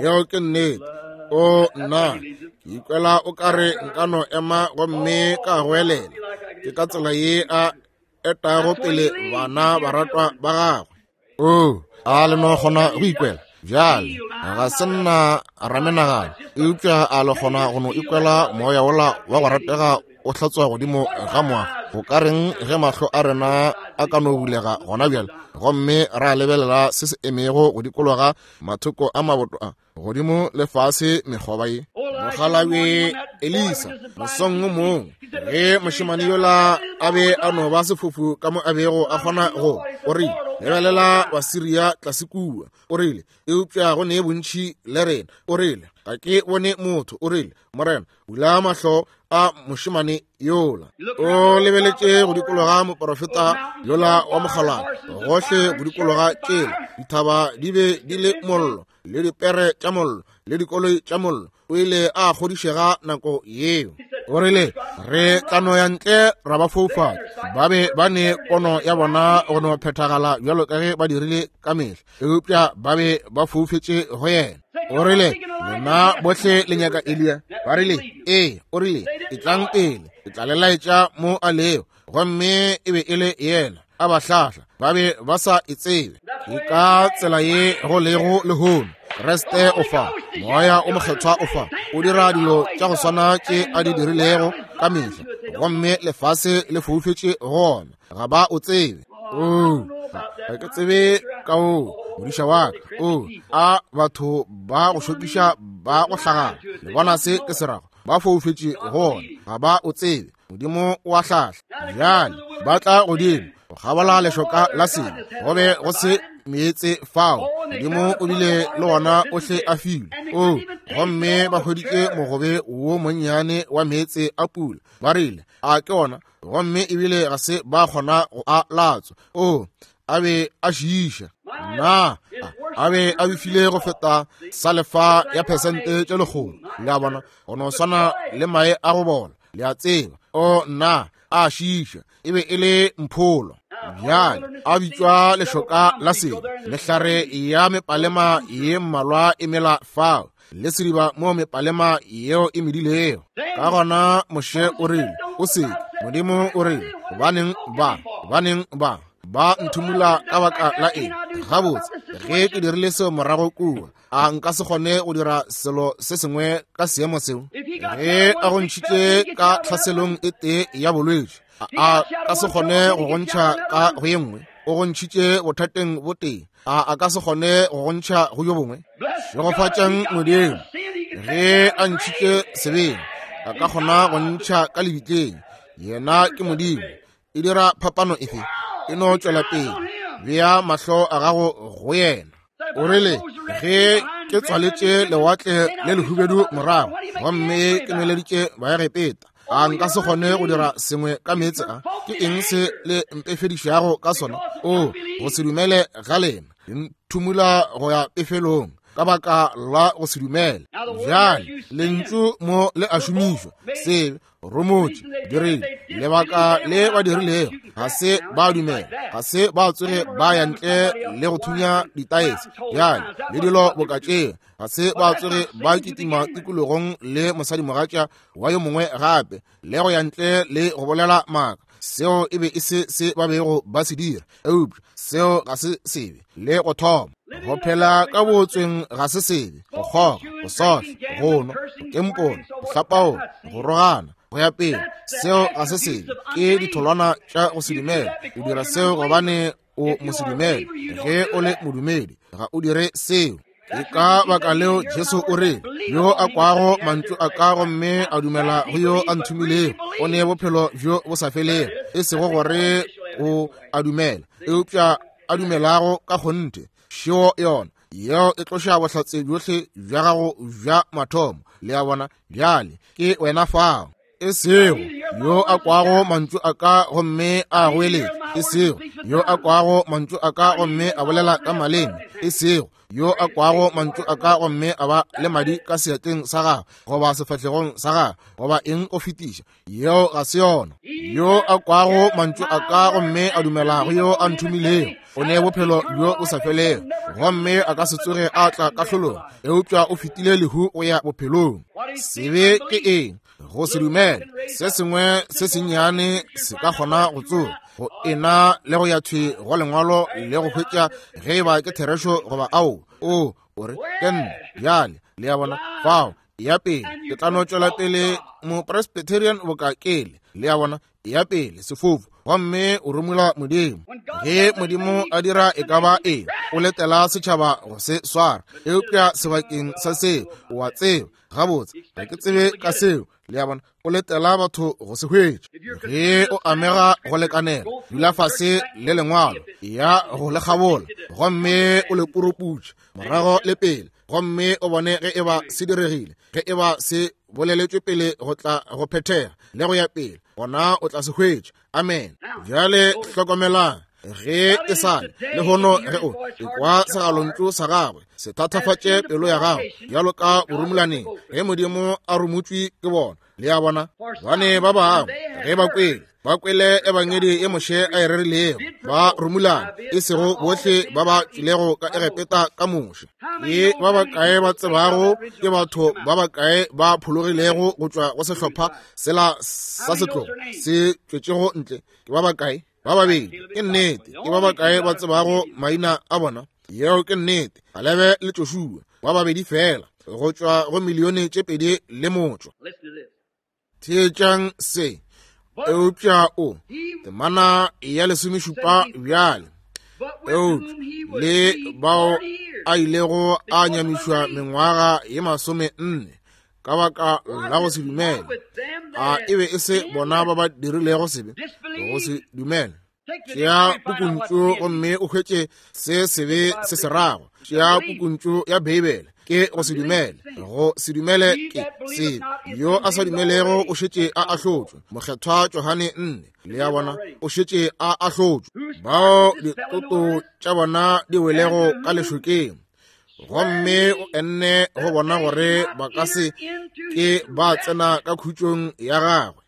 S3: Yeo ke nnete. O nna, ke ikwela o kare nka no ema gomme ka goelela. Ke ka tsela ye a etago pele bana baratwa ba gagwe. O, a le no kgona go ikwela bjale? Ga se nna ramenagano, eupša a le kgona go no ikwela moya wola wa go ratega o hlatswa godimo ga moago? Go ka reng ge mahlo a rena a ka no bulega gona bjale, gomme ra lebelela se se emego go dikologa mathoko a maboto a godimo le fase mekgoba ye? Mokgalabje Elisa mosong o mongwe, ge mošemane yola a be a no ba sefofu ka mo a bego a kgona go, o rile, lebelela Basiria tlase kua. O rile, eupša go ne bontši le rena. O rile, ga ke bone motho. O rile, Morena, bula mahlo a mošemane yola. O lebeletše go dikologa moprofeta yola wa mokgalabje, gohle go dikologa tšela. Dithaba di be di le mollo, le dipere tša mollo, le dikoloi tša mollo. O ile a kgodišega nako yeo. O rile, re tla no ya ntle ra ba foufatša. Ba be ba ne pono ya bona go no phethagala bjalo ka ge ba dirile ka mehla, eupša ba be ba foufetše go yena. O rile, lena bohle le nyaka Eliya? Ba rile, ee. O rile, etlang pele, ke tla le laetša mo a lego. Gomme e be e le yena a ba hlahla, ba be ba sa e tsebe. Ke ka tsela ye go lego lehono. Kriste o fa, Moya o Mokgethwa o fa, o dira dilo tša go swana tše a di dirilego ka mehla, gomme lefase le foufetše gona, ga ba o tsebe. Oo, ga ke tsebe ka o modiša wa ka. O, a batho ba go šokiša ba go hlagana. Le bona se ke se rago? Ba foufetše gona, ga ba o tsebe. Modimo o a hlahla. Bjale ba tla godimo go kgabola lešoka la sebe, go be go se meetse fao. Modimo o bile le wona ohle a filwe. O, gomme ba hweditše mogobe wo monnyane wa meetse a pula. Ba rile, a ke ona, gomme ebile ga se ba kgona go a latswa. O, a be a šiiša. Na a be a befile go feta salefa ya phesente tše lekgolo. Le a bona, go no swana le mae a go bola. Le a tseba. O, na a šiiša. E be e le mpholo. Bjale a bitšwa lešoka la sebe. Mehlare ya mepalema ye mmalwa e mela fao, le sediba mo mepalema yeo e medilego. Ka gona Moshe o rile, o seke. Modimo o rile, gobaneng ba, gobaneng ba ba nthumula ka baka la eng? Gabotse, ge ke dirile seo morago kua, a nka se kgone go dira selo se sengwe ka seemo seo? Ge a go ntšhitše ka tlhaselong e tee ya bolwetši, a ka se kgone go go ntšha ka go ye nngwe? O go ntšhitše bothateng bo tee, a a ka se kgone go go ntšha go yo bongwe? Šegofatšang Modimo, ge a ntšhitše sebeng, a ka kgona go ntšha ka lebitleng. Yena ke Modimo. E dira phapano efe? E no tšwela pele, bea mahlo a gago go yena. O rile, ge ke tswaletše lewatle le lehubedu morago, gomme ke nweleditše Baegepeta, a nka se kgone go dira sengwe ka meetse a? Ke eng se le mpefedišago ka sona? O, go se dumele ga lena, le nthumula go ya pefelong ka baka la go se dumele. Bjale lentšu mo le a šomišwa, sebe, romotše, dirile. Lebaka le ba dirilego, ga se ba dumela, ga se ba tsoge ba ya ntle le go thunya ditaese bjale le dilo boka tšeo, ga se ba tsoge ba kitima tikologong le mosadimogatša wa yo mongwe gape, le go ya ntle le go bolela maaka. Seo e be e se se ba bego ba se dira, eupša seo ga se sebe le go thoma. Go phela ka bootsweng ga se sebe, go kgoga, go sohla, go nwa, go kempola, go hlapaola, go rogana, go ya pele, seo ga se sebe. Ke ditholwana tša go se dumela. O dira seo gobane o mosedumele. Ge o le modumedi, ga o dire seo. Ke ka baka leo Jesu o rile, yo a kwago mantšu a ka gomme a dumela go yo a nthomilego, o ne bophelo bjo bo sa felego. E sego gore o a dumela, eupša a dumelago ka kgonthe. Šeo yona, yeo e tloša bohlatse bjohle bja gago bja mathomo. Le a bona, bjale ke wena fao. E sego yo a kwago mantšu a ka gomme a goeletša, e sego yo a kwago mantšu a ka gomme a bolela ka maleme, e sego yo a kwago mantšu a ka gomme a ba le madi ka seatleng sa gagwe goba sefahlegong sa gagwe goba eng o fetiša, yeo ga se yona. Yo a kwago mantšu a ka gomme a dumela go yo a nthomilego, o ne bophelo bjo bo sa felego, gomme a ka se tsoge a tla kahlolong, eupša o fetile lehu go ya bophelong. Sebe ke eng? Go se dumele. Se sengwe se sennyane se ka kgona go tsoga go ena le go ya thwi go lengwalo le go hwetša ge e ba ke therešo goba ao. O, o re ke nna bjale. Le a bona fao, ya pele ke tla no tšwela pele mopresbyterian boka kele. Le a bona, ya pele sefofu, gomme o romula Modimo. Ge Modimo a dira e ka ba eng, o letela setšhaba go se swara, eupša sebakeng sa seo, o a tseba gabotse ga ke tsebe ka seo. Le a bona, o letela batho go se hwetše. Ge o amega go lekanela, dula fase le lengwalo, ya go le kgabola, gomme o le puruputše morago le pele, gomme o bone ge e ba se diregile, ge e ba se boleletšwe pele go tla go phethega le go ya pele, gona o tla se hwetša. Amen. Bjale hlokomelang, ge e sa le lehono, ge o ekwa segalontšu sa gagwe, se thatafatše pelo ya gago bjalo ka borumulaneng, ge Modimo a rumutšwe ke bona. Le a bona, bane ba bangwe ge ba kwele, ba kwele ebangedi ye Moshe a e rerilego, ba rumulana, e sego bohle ba ba tšwilego ka Egepeta ka Moshe. Ke ba bakae ba tsebago ke batho ba bakae ba phologilego go tšwa go sehlopha sela sa setlogo se tšwetšego ntle? Ke ba bakae?
S1: Ba babedi ke nnete. Ke ba bakae ba tsebago maina a bona? Yeo ke nnete. Kalebe le Joshua, ba babedi fela go tšwa go milione tše pedi le motšwa. Theetšang se. Eupša o temana ya lesomešupa bjale. Eupša le bao a ilego a nyamišwa mengwaga ye masome nne ka baka la go se dumele. A e be e se bona ba ba dirilego sebe go se dumele? Tšea pukuntšu gomme o hwetše se sebe se se rago. Tšea pukuntšu ya Beibele. Ke go se dumele. Go se dumele ke sebe. Yo a sa dumelego o šetše a ahlotšwe. Mokgethwa Johane nne. Le a bona, o šetše a ahlotšwe. Bao ditoto tša bona di welego ka lešokeng, gomme o enne go bona gore ba ka se ke ba tsena ka khutšong ya gagwe.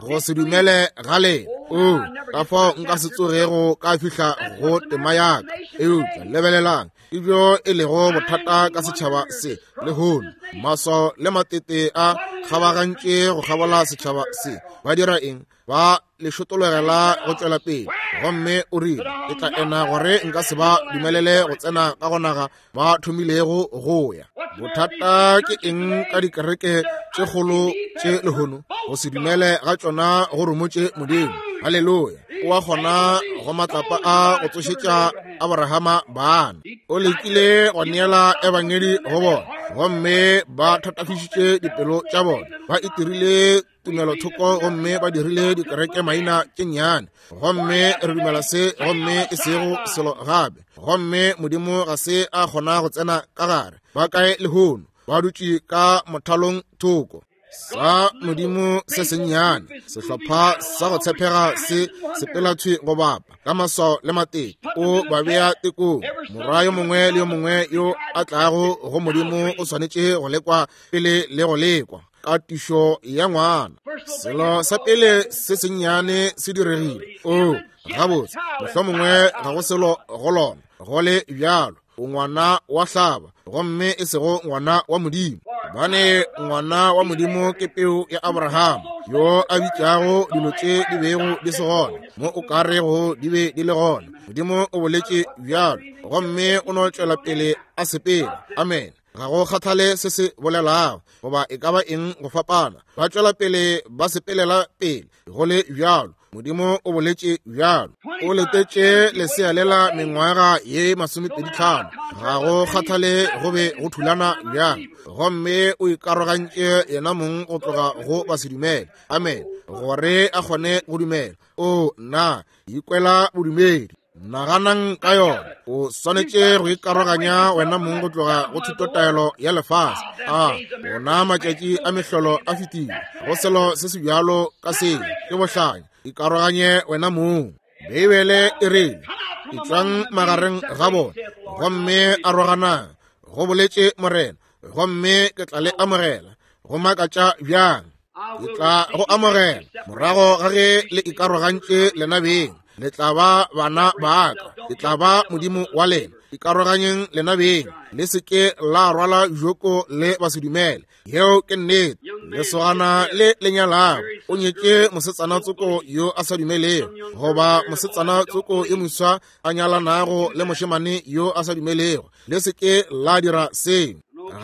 S1: Go se dumele ga lena. O ka fao nka se tsogego ka fihla go tema ya ka. Eupša lebelelang, ebjo e lego bothata ka setšhaba se lehono. Maswao le matete a kgabagantše go kgabola setšhaba se. Ba dira eng? Ba le šotologela go tšwela pele. Gomme o rile, ke tla ena gore nka se ba dumelele go tsena ka go naga ba thomilego go ya. Bothata ke eng ka dikereke tše kgolo tše lehono? Go se dumele ga tšona go rumotše Modimo. Haleluya. O a kgona go matlapa a go tsošetša Abrahama bana. O lekile go neela ebangedi go bona, gomme ba thatafišitše dipelo tša bona. Ba itirile tumelothoko gomme ba dirile dikereke maina tše nnyane. Gomme re dumela se, gomme e sego selo gape. Gomme Modimo ga se a kgona go tsena ka gare. Ba kae lehono? Ba dutše ka mothalong thoko. Sa Modimo se sennyane, sehlopha sa go tshepega se sepela thwi go bapa ka maswao le matete. O ba bea tekong. Morwa yo mongwe le yo mongwe yo a tlago go Modimo o swanetše go lekwa pele le go lekwa ka tišo ya ngwana. Selo sa pele se sennyane se diregile. O gabotse, mohlomongwe ga go selo go lona. Go le bjalo, o ngwana wa hlaba, gomme e sego ngwana wa Modimo. Bane ngwana wa Modimo ke peu ya Abraham, yo a bitšago dilo tše di bego di se gona mo o ka rego di be di le gona. Modimo o boletše bjalo, gomme o no tšwela pele a sepela. Amen. Ga go kgathale se se bolelago goba e ka ba eng go fapana. Ba tšwela pele ba sepelela pele go le bjalo. Modimo o boletše bjalo. O letetše lesea lela mengwaga ye masomepedi tlhano. Ga go kgathale go be go thulana bjang. Gomme o ikarogantše yena mong go tloga go basedumele. Amen. Gore a kgone go dumela. O na ikwela bodumedi. Naganang ka yona. O swanetše go ikaroganya wena mong go tloga go thutotaelo ya lefase. A bona matšatši a mehlolo a fetile. Go selo se se bjalo ka seo ke bohlanya. Ikaroganye wena mong. Beibele e rile, etšwang magareng ga bona, gomme aroganang, go boletše Morena, gomme ke tla le amogela. Go makatša bjang? Ke tla go amogela morago ga ge le ikarogantše lena beng. Le tla ba bana ba ka, ke tla ba Modimo wa lena. Ikaroganyeng lena beng, le se ke la rwala joko le basedumele. Yeo ke nnete. Lesogana le le nyalago o nyetše mosetsana tsoko yo a sa dumelego, goba mosetsana tsoko yo moswa a nyalanago le mošemane yo a sa dumelego. Le se ke la dira seo.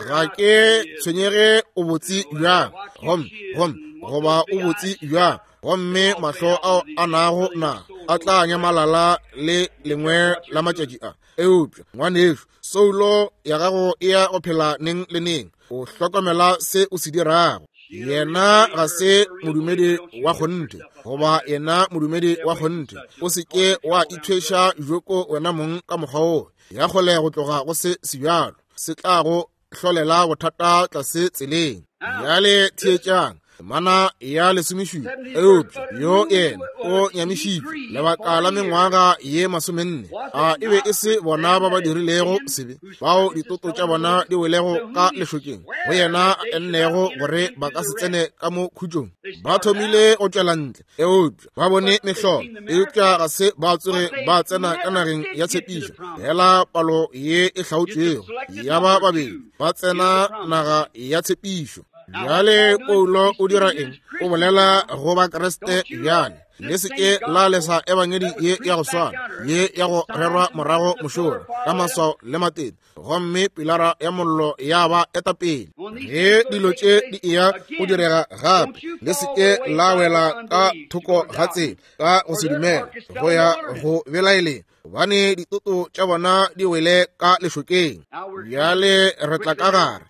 S1: Ga ke tshwenyege o botse bjang, gomme gomme goba o botse bjang, gomme mahlo ao a nago na a tla nyamalala le lengwe la matšatši a. Eupša ngwanešu, soulo ya gago e ya go phela neng le neng. O hlokomela se o se dirago. Yena ga se modumedi wa kgonthe, goba yena modumedi wa kgonthe. O se ke wa ithweša joko wena mong ka mokgwa wo. Ya kgole go tloga go se sebjalo, se tla go hlolela bothata tlase tseleng. Bjale theetšang. Mana ya lesomešupa. Eupša yo yena o nyamišitšwe lebaka la mengwaga ye masomenne. A e be e se bona ba ba dirilego sebe, bao ditoto tša bona di welego ka lešokeng, go yena a ennego gore ba ka se tsene ka mo khutšong. Ba thomile go tšwela ntle, eupša ba bone mehlolo, eupša ga se ba tsoge ba tsena ka nageng ya tshepišo. Fela palo ye e hlaotšwego ya ba babedi ba tsena naga ya tshepišo. Bjale Paulo o dira eng? O bolela go Bakriste bjale. Le se ke la lesa ebangedi ye ya go swana, ye ya go rerwa morago mošola ka maswao le matete, gomme pilara ya mollo ya ba eta pele. Ge dilo tše di eya go direga gape, le se ke la wela ka thoko ga tsela ka go se dumele, go ya go belaeleng, gobane ditoto tša bona di wele ka lešokeng. Bjale re tla ka gare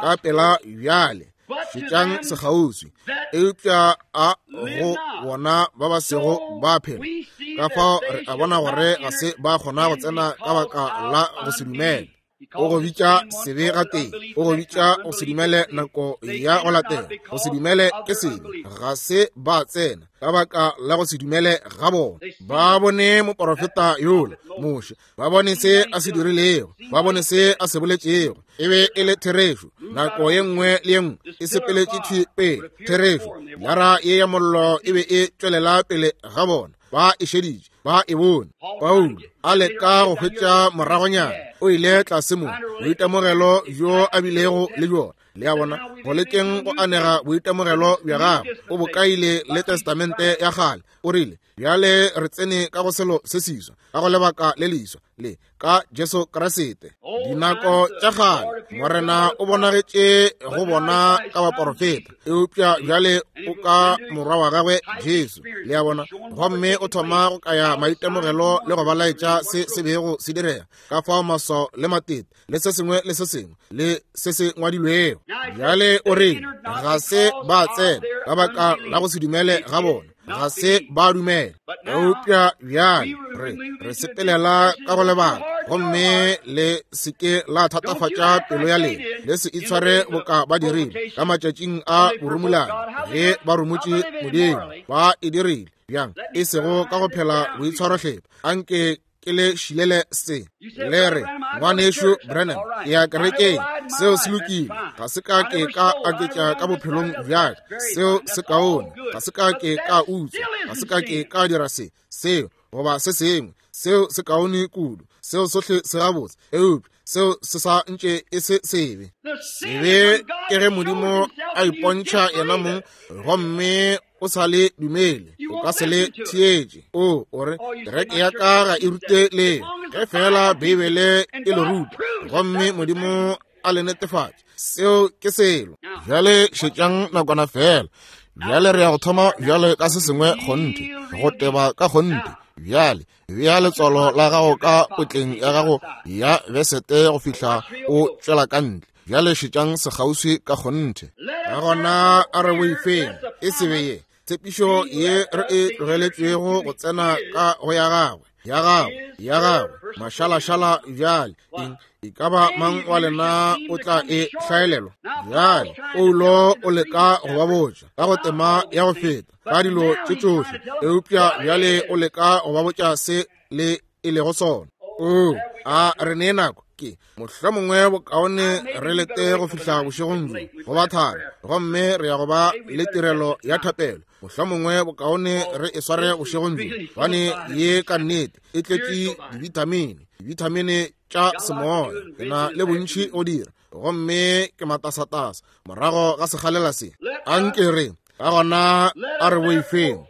S1: ka pela bjale. Šetšang sekgauswi, eupša a go bona ba ba sego ba phela. Ka fao re a bona gore ga se ba kgona go tsena ka baka la go se dumele. O go bitša sebe gatee, o go bitša go se dumele nako ya go latela. Go se dumele ke sebe, ga se ba tsena ka baka la go se dumele ga bona. Ba bone moporofeta yola Moshe, ba bone se a se dirilego, ba bone se a se boletšego. E be e le therešo. Nako ye nngwe le ye nngwe e sepeletše thwi pele. Therešo. Lara ye ya mollo e be e tšwelela pele ga bona. Ba e šeditše, ba e bone. Paulo a leka go hwetša moragonyana, o ile tlase mo boitemogelo bjo a bilego le bjona. Le a bona, go lekeng go anega boitemogelo bja gagwe, o bo kaile le testamente ya kgale. O rile, bjale re tsene ka go selo se seswa, ka go lebaka le leswa le ka Jesu Kriste. Dinako tša kgale Morena o bonagetše go bona ka baporofeta, eupša bjale o ka morwa wa gagwe Jesu. Le a bona, gomme o thoma go kaya maitemogelo le go ba laetša se se bego se direga, ka fao maswao le matete le se sengwe le se sengwe le se se ngwadilwego. Bjale o re ga se ba tsena ka baka la go se dumele ga bona, ga se ba dumela. Eupša bjale re re sepelela ka go lebaka, gomme le se ke la thatafatša pelo ya lena, le se itshware boka ba dirile ka matšatšing a borumolane ge ba rumotše Modimo. Ba e dirile bjang? E sego ka go phela boitshwarohlepha. Anke ke le šilele se. Le re, ngwanešu Branham, ke ya kerekeng, seo se lokile. Ga se ka ke ka aketša ka bophelong bja ka, seo se kaone. Ga se ka ke ka utswa, ga se ka ke ka dira se, seo goba se sengwe, seo se kaone kudu, seo sohle se gabotse, eupša seo se sa ntše e se sebe. Sebe ke ge Modimo a ipontšha yena mong, gomme o sa le dumele, o ka se le theetše. O o re, kereke ya ka ga e rute le, ge fela Beibele e le ruta, gomme Modimo a le netefatše, seo ke selo. Bjale šetšang nakwana fela. Bjale re ya go thoma bjale ka se sengwe kgonthe, go teba ka kgonthe. Bjale bea letswalo la gago ka potleng ya gago ya besete go fihla o tšwela ka ntle. Bjale šetšang sekgauswi ka kgonthe. Ka gona a re boifeng, e se be ye tshepišo ye re e tlogeletšwego go tsena ka go ya gagwe, ya gagwe, ya gagwe mašalašala. Bjale eng e ka ba mang wa lena o tla e hlaelelwa? Bjale Paulo o leka go ba botša ka go tema ya go feta ka dilo tše tšohle, eupša bjale o leka go ba botša se le e lego sona. O a re nee nako ke mohlomongwe bokaone re lete go fihla bošegong bjo go ba thari, gomme re ya go ba le tirelo ya thapelo. Mohlomongwe bokaone re e sware bošegong bjo, gobane ye ka nnete e tletše divitamine, divitamine tša semoya. Ke na le bontši go dira, gomme ke matasatasa morago ga sekgalela se. Anke re ka gona a re boifeng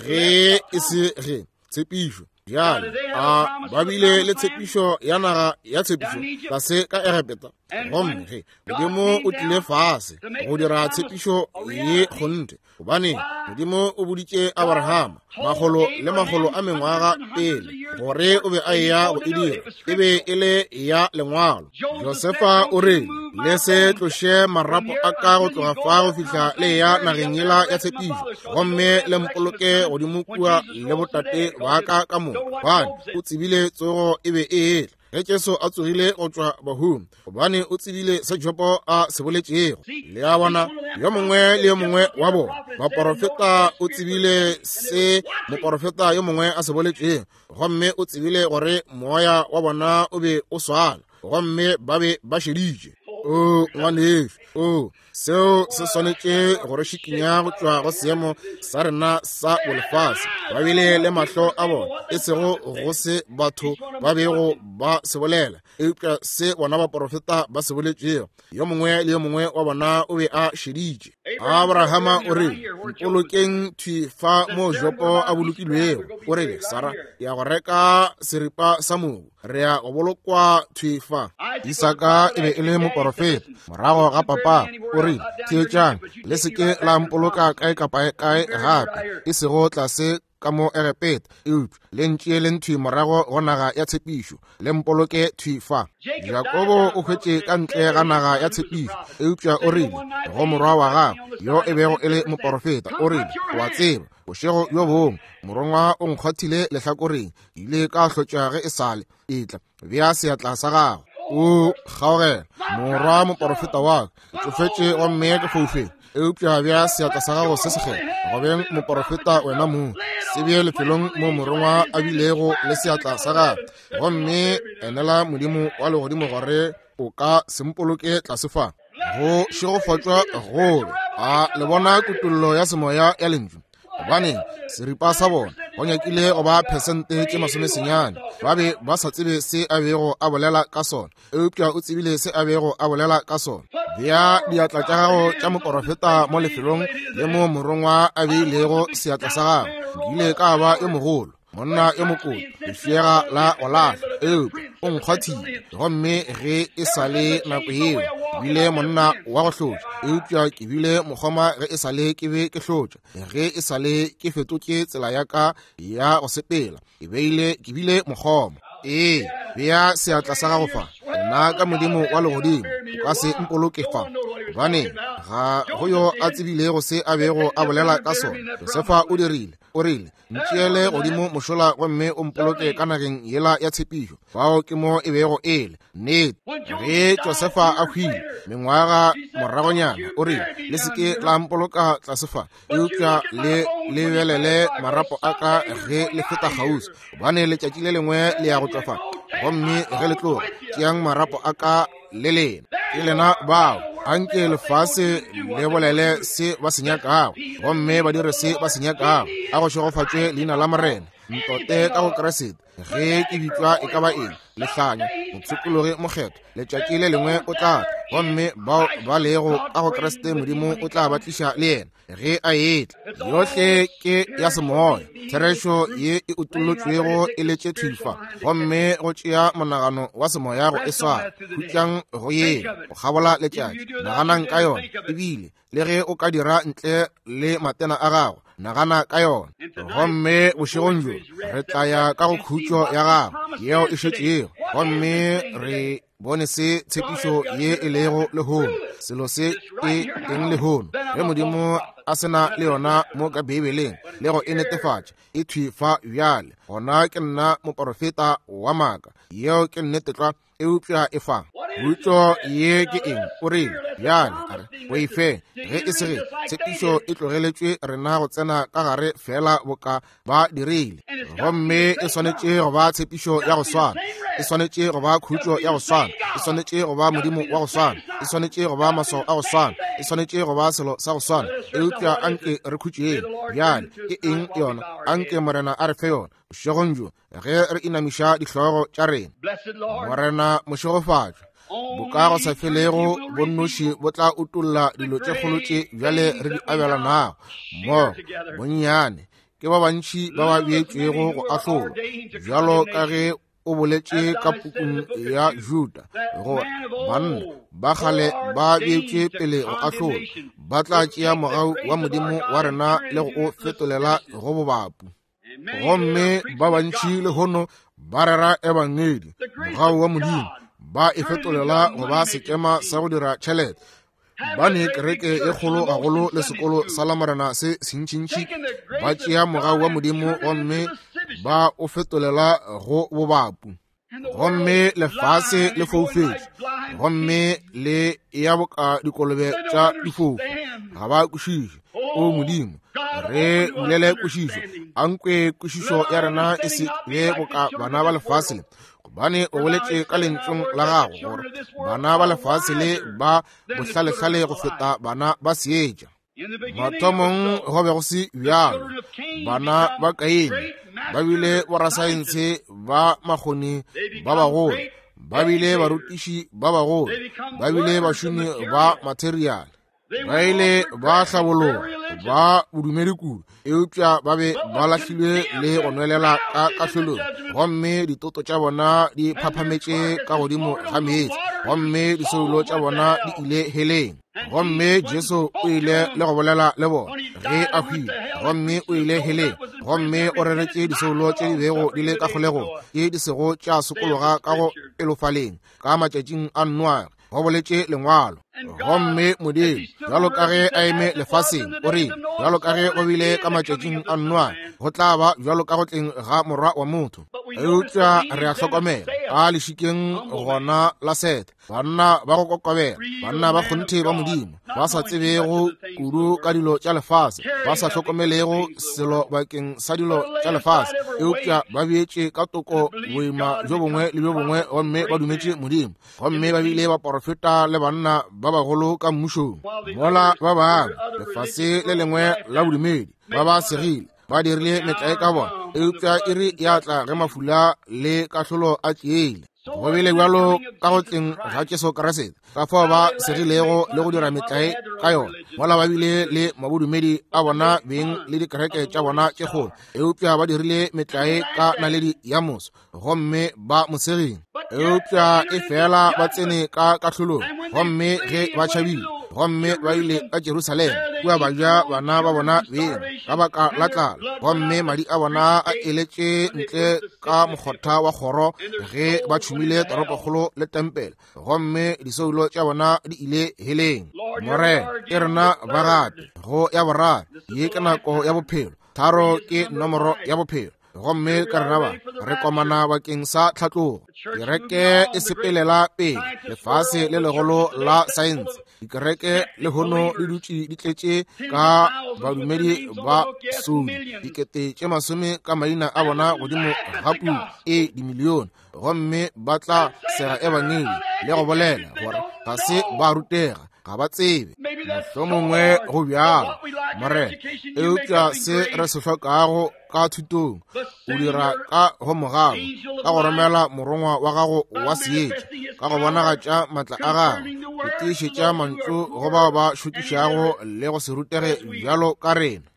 S1: ge e se ge tshepišo. Bjale a ba bile le tshepišo ya naga ya tshepišo tlase ka Egepeta, gomme ge Modimo o tlile fase go dira tshepišo ye kgonthe, gobane Modimo o boditše Abrahama makgolo le makgolo a mengwaga pele gore o be a eya go e dira, e be e le ya lengwalo. Josefa o re, le se tloše marapo a ka go tloga fa go fihla le ya nageng yela ya tshepišo, gomme le mpoloke godimo kua le botate ba ka ka moka, gobane o tsebile tsogo e be e etla. Ge Jesu a tsogile go tšwa bahung, gobane o tsebile se Jobo a se boletšego. Le a bona, yo mongwe le yo mongwe wa bona baporofeta o tsebile se moporofeta yo mongwe a se boletšego, gomme o tsebile gore moya wa bona o be o swana, gomme ba be ba šeditše. O ngwanešu, o seo se swanetše go re šikinya go tšwa go seemo sa rena sa bolefase. Ba bile le mahlo a bona, e sego go se batho ba bego ba se bolela, eupša se bona baporofeta ba se boletšego. Yo mongwe le yo mongwe wa bona o be a šeditše. Abrahama o rile, mpolokeng thwi fa mo Jopo a bolokilwego. O rile, Sara, ke ya go reka seripa sa mobu, re ya go bolokwa thwi fa. Isaka e be e le moporofeta morago ga papa. O rile, theetšang, le se ke la mpoloka kae kapa kae gape, e sego tlase ka mo Egepeta, eupša le ntšeeleng thwi morago go naga ya tshepišo, le mpoloke thwi fa. Jakobo o hwetše ka ntle ga naga ya tshepišo, eupša o rile go morwa wa gagwe yo e bego e le moporofeta, o rile, o a tseba, bošego bjo bongwe morongwa o nkgwathile lehlakoreng, ke ile ka hlotša ge e sale etla, bea seatla sa gago. O kgaogela morwa moporofeta wa ka, ke tsofetše gomme ke foufetse, eupša bea seatla sa gago se sekgethwa go beng moporofeta wena mong, se bee lefelong mo morongwa a bilego le seatla sa gagwe, gomme enela Modimo wa legodimo gore o ka se mpoloke tlase fa. Go šegofatšwa gobe. A le bona kutollo ya semoya ya lentšu? Gobane seripa sa bona go nyakile go ba phesente tše masomesenyane, ba be ba sa tsebe se a bego a bolela ka sona, eupša o tsebile se a bego a bolela ka sona. Bea diatla tša gago tša moporofeta mo lefelong le mo morongwa a beilego seatla sa gagwe. Ke ile ka ba yo mogolo, monna yo mokolo, lefšega la go lahla, eupša o nkgwathile, gomme ge e sa le nako yeo ke bile monna wa go hlotša, eupša ke bile mokgoma ge e sa le ke be ke hlotša, ge e sa le ke fetotše tsela ya ka ya go sepela, ke beile ke bile mokgoma. Ee, bea seatla sa gago fa, nna ka Modimo wa legodimo o ka se mpoloke fa, gobane ga go yo a tsebilego se a bego a bolela ka sona. Josefa o dirile, o rile, ntšeele godimo mošola gomme o mpoloke ka nageng yela ya tshepišo. Fao ke mo e bego e le nnete. Ge Josefa a hwile mengwaga moragonyana, o rile, le se ke la mpoloka tlase fa, eupša le lebelele marapo a ka ge le feta kgauswi, gobane letšatši le lengwe le ya go tšwa fa, gomme ge le tloga, tšeang marapo a ka le lena. Ke lena bao. Anke lefase le bolele se ba se nyakago, gomme ba dire se ba se nyakago. A go šegofatšwe leina la Morena. Ntote ka go Kriste, ge ke bitšwa e ka ba eng, lehlanya, mopshikologi mokgethwa, letšatši le lengwe o tla tla, gomme bao ba lego ka go Kriste Modimo o tla ba tliša le yena ge a etla. Yohle ke ya semoya, therešo ye e utollotšwego e letše thwi fa, gomme go tšea monagano wa semoya go e swara. Khutšang go yena go kgabola letšatši, naganang ka yona, ebile le ge o ka dira ntle le matena a gago, nagana ka yona. Gomme bošegong bjo re tla ya ka go khutšo ya gago yeo e šetšego, gomme re bone se tshepišo ye e lego lehono, selo se ke eng lehono, ge Modimo a se na le yona mo ka Beibeleng le go e netefatša e thwi fa bjale, gona ke nna moporofeta wa maaka. Yeo ke nnete tlwa, eupša e fa. Khutšo ye ke eng? O rile, bjale a re boife ge e se ge tshepišo e tlogeletšwe rena go tsena ka gare fela boka ba dirile, gomme e swanetše go ba tshepišo ya go swana, e swanetše go ba khutšo ya go swana, e swanetše go ba Modimo wa go swana, e swanetše go ba maswao a go swana, e swanetše go ba selo sa go swana. Eupša anke re khutšeng bjale. Ke eng yona? Anke Morena a re fe yona bošegong bjo ge re inamiša dihlogo tša rena. Morena mošegofatšwa, boka go sa felego bonnoši bo tla utolla dilo tše kgolo tše bjale re di abelanago mmogo. Bonnyane ke ba bantši ba ba beetšwego go ahlolwa, bjalo ka ge o boletše ka pukung ya Juda, gore banna ba kgale ba beetšwe pele go ahlolwa, ba tla tšea mogau wa Modimo wa rena le go o fetolela go bobapu. Gomme ba bantši lehono ba rera ebangedi, mogau wa Modimo, ba e fetolela go ba sekema sa go dira tšhelete. Ba ne kereke e kgolo gagolo le sekolo sa Lamorena se sentšintši, ba tšea mogau wa Modimo gomme ba o fetolela go bobapu. Gomme lefase le foufetše, gomme le ya boka dikolobe tša difofu, ga ba kwešiše. O Modimo, re bulele kwešišo, a nkwe kwešišo ya rena e se be boka bana ba lefase le, Bane o boletše ka lentšung la gago gore bana ba lefase le ba bohlalehlale go feta bana ba seetša. Mathomong go be go se bjalo. Bana ba Kaine ba bile borasaense ba makgoni ba bagolo, ba bile barutiši ba bagolo, ba bile bašomi ba materiale, ba ile ba hlabologa ba bodumedi kudu, eupša ba be ba lahlilwe le go nwelela ka kahlolong, gomme ditoto tša bona di phaphametše ka godimo ga meetse, gomme disoulo tša bona di ile heleng. Gomme Jesu o ile le go bolela le bona ge a hwile, gomme o ile heleng, gomme o reretše disoulo tše di bego di le ka kgolegong, tše di sego tša sokologa ka go pelofaleng ka matšatšing a Noage, go boletše lengwalo. Gomme Modimo, bjalo ka ge a eme lefaseng, o rile, bjalo ka ge go bile ka matšatšing a Noage, go tla ba bjalo ka go tleng ga Morwa wa motho. Eupša re a hlokomela ka lešikeng gona la Sete, banna ba go kokobela, banna ba kgonthe ba Modimo, ba sa tsebego kudu ka dilo tša lefase, ba sa hlokomelego selo bakeng sa dilo tša lefase, eupša ba beetše ka toko boima bjo bongwe le bjo bongwe, gomme ba dumetše Modimo, gomme ba bile baporofeta le banna ba bagolo ka mmušong. Mola ba bangwe lefase le lengwe la bodumedi ba ba segile, ba dirile metlae ka bona, eupša iri ya tla ge mafula le kahlolo a tšeile. Go bile bjalo ka go tleng ga Jesu Kriste, ka fao ba segilego le go dira metlae ka yona, mola ba bile le mabodumedi a bona beng le dikereke tša bona tše kgolo, eupša ba dirile metlae ka naledi ya moso, gomme ba mo segile. Eupša e fela ba tsene ka kahlolong, gomme ge ba tšhabile, gomme ba ile ka Jerusalema, kua ba ja bana ba bona beng ka baka la tlala, gomme madi a bona a eletše ntle ka mokgotha wa kgoro ge ba tšhumile toropokgolo le tempele, gomme disoulo tša bona di ile heleng. Morena, e rena ba gape go ya boraro, ye ke nako ya bophelo, tharo ke nomoro ya bophelo, gomme ka rena ba re komana bakeng sa tlhatlogo. Kereke e sepelela pele, lefase le legolo la saense, dikereke lehono di dutše di tletše ka badumedi ba sodi, dikete tše masome ka maina a bona godimo ga puku e dimilione, gomme ba tla sega ebangedi le go bolela gore ga se ba rutega, ga ba tsebe. Mohlomongwe go bjalo, Morena, eupša se re se hlokago ka thutong o dira ka go mogabo, ka go romela morongwa wa gago wa seetša, ka go bonagatša matla a gago, go tiišetša mantšu go bao ba šokišago le go se rutege bjalo ka rena.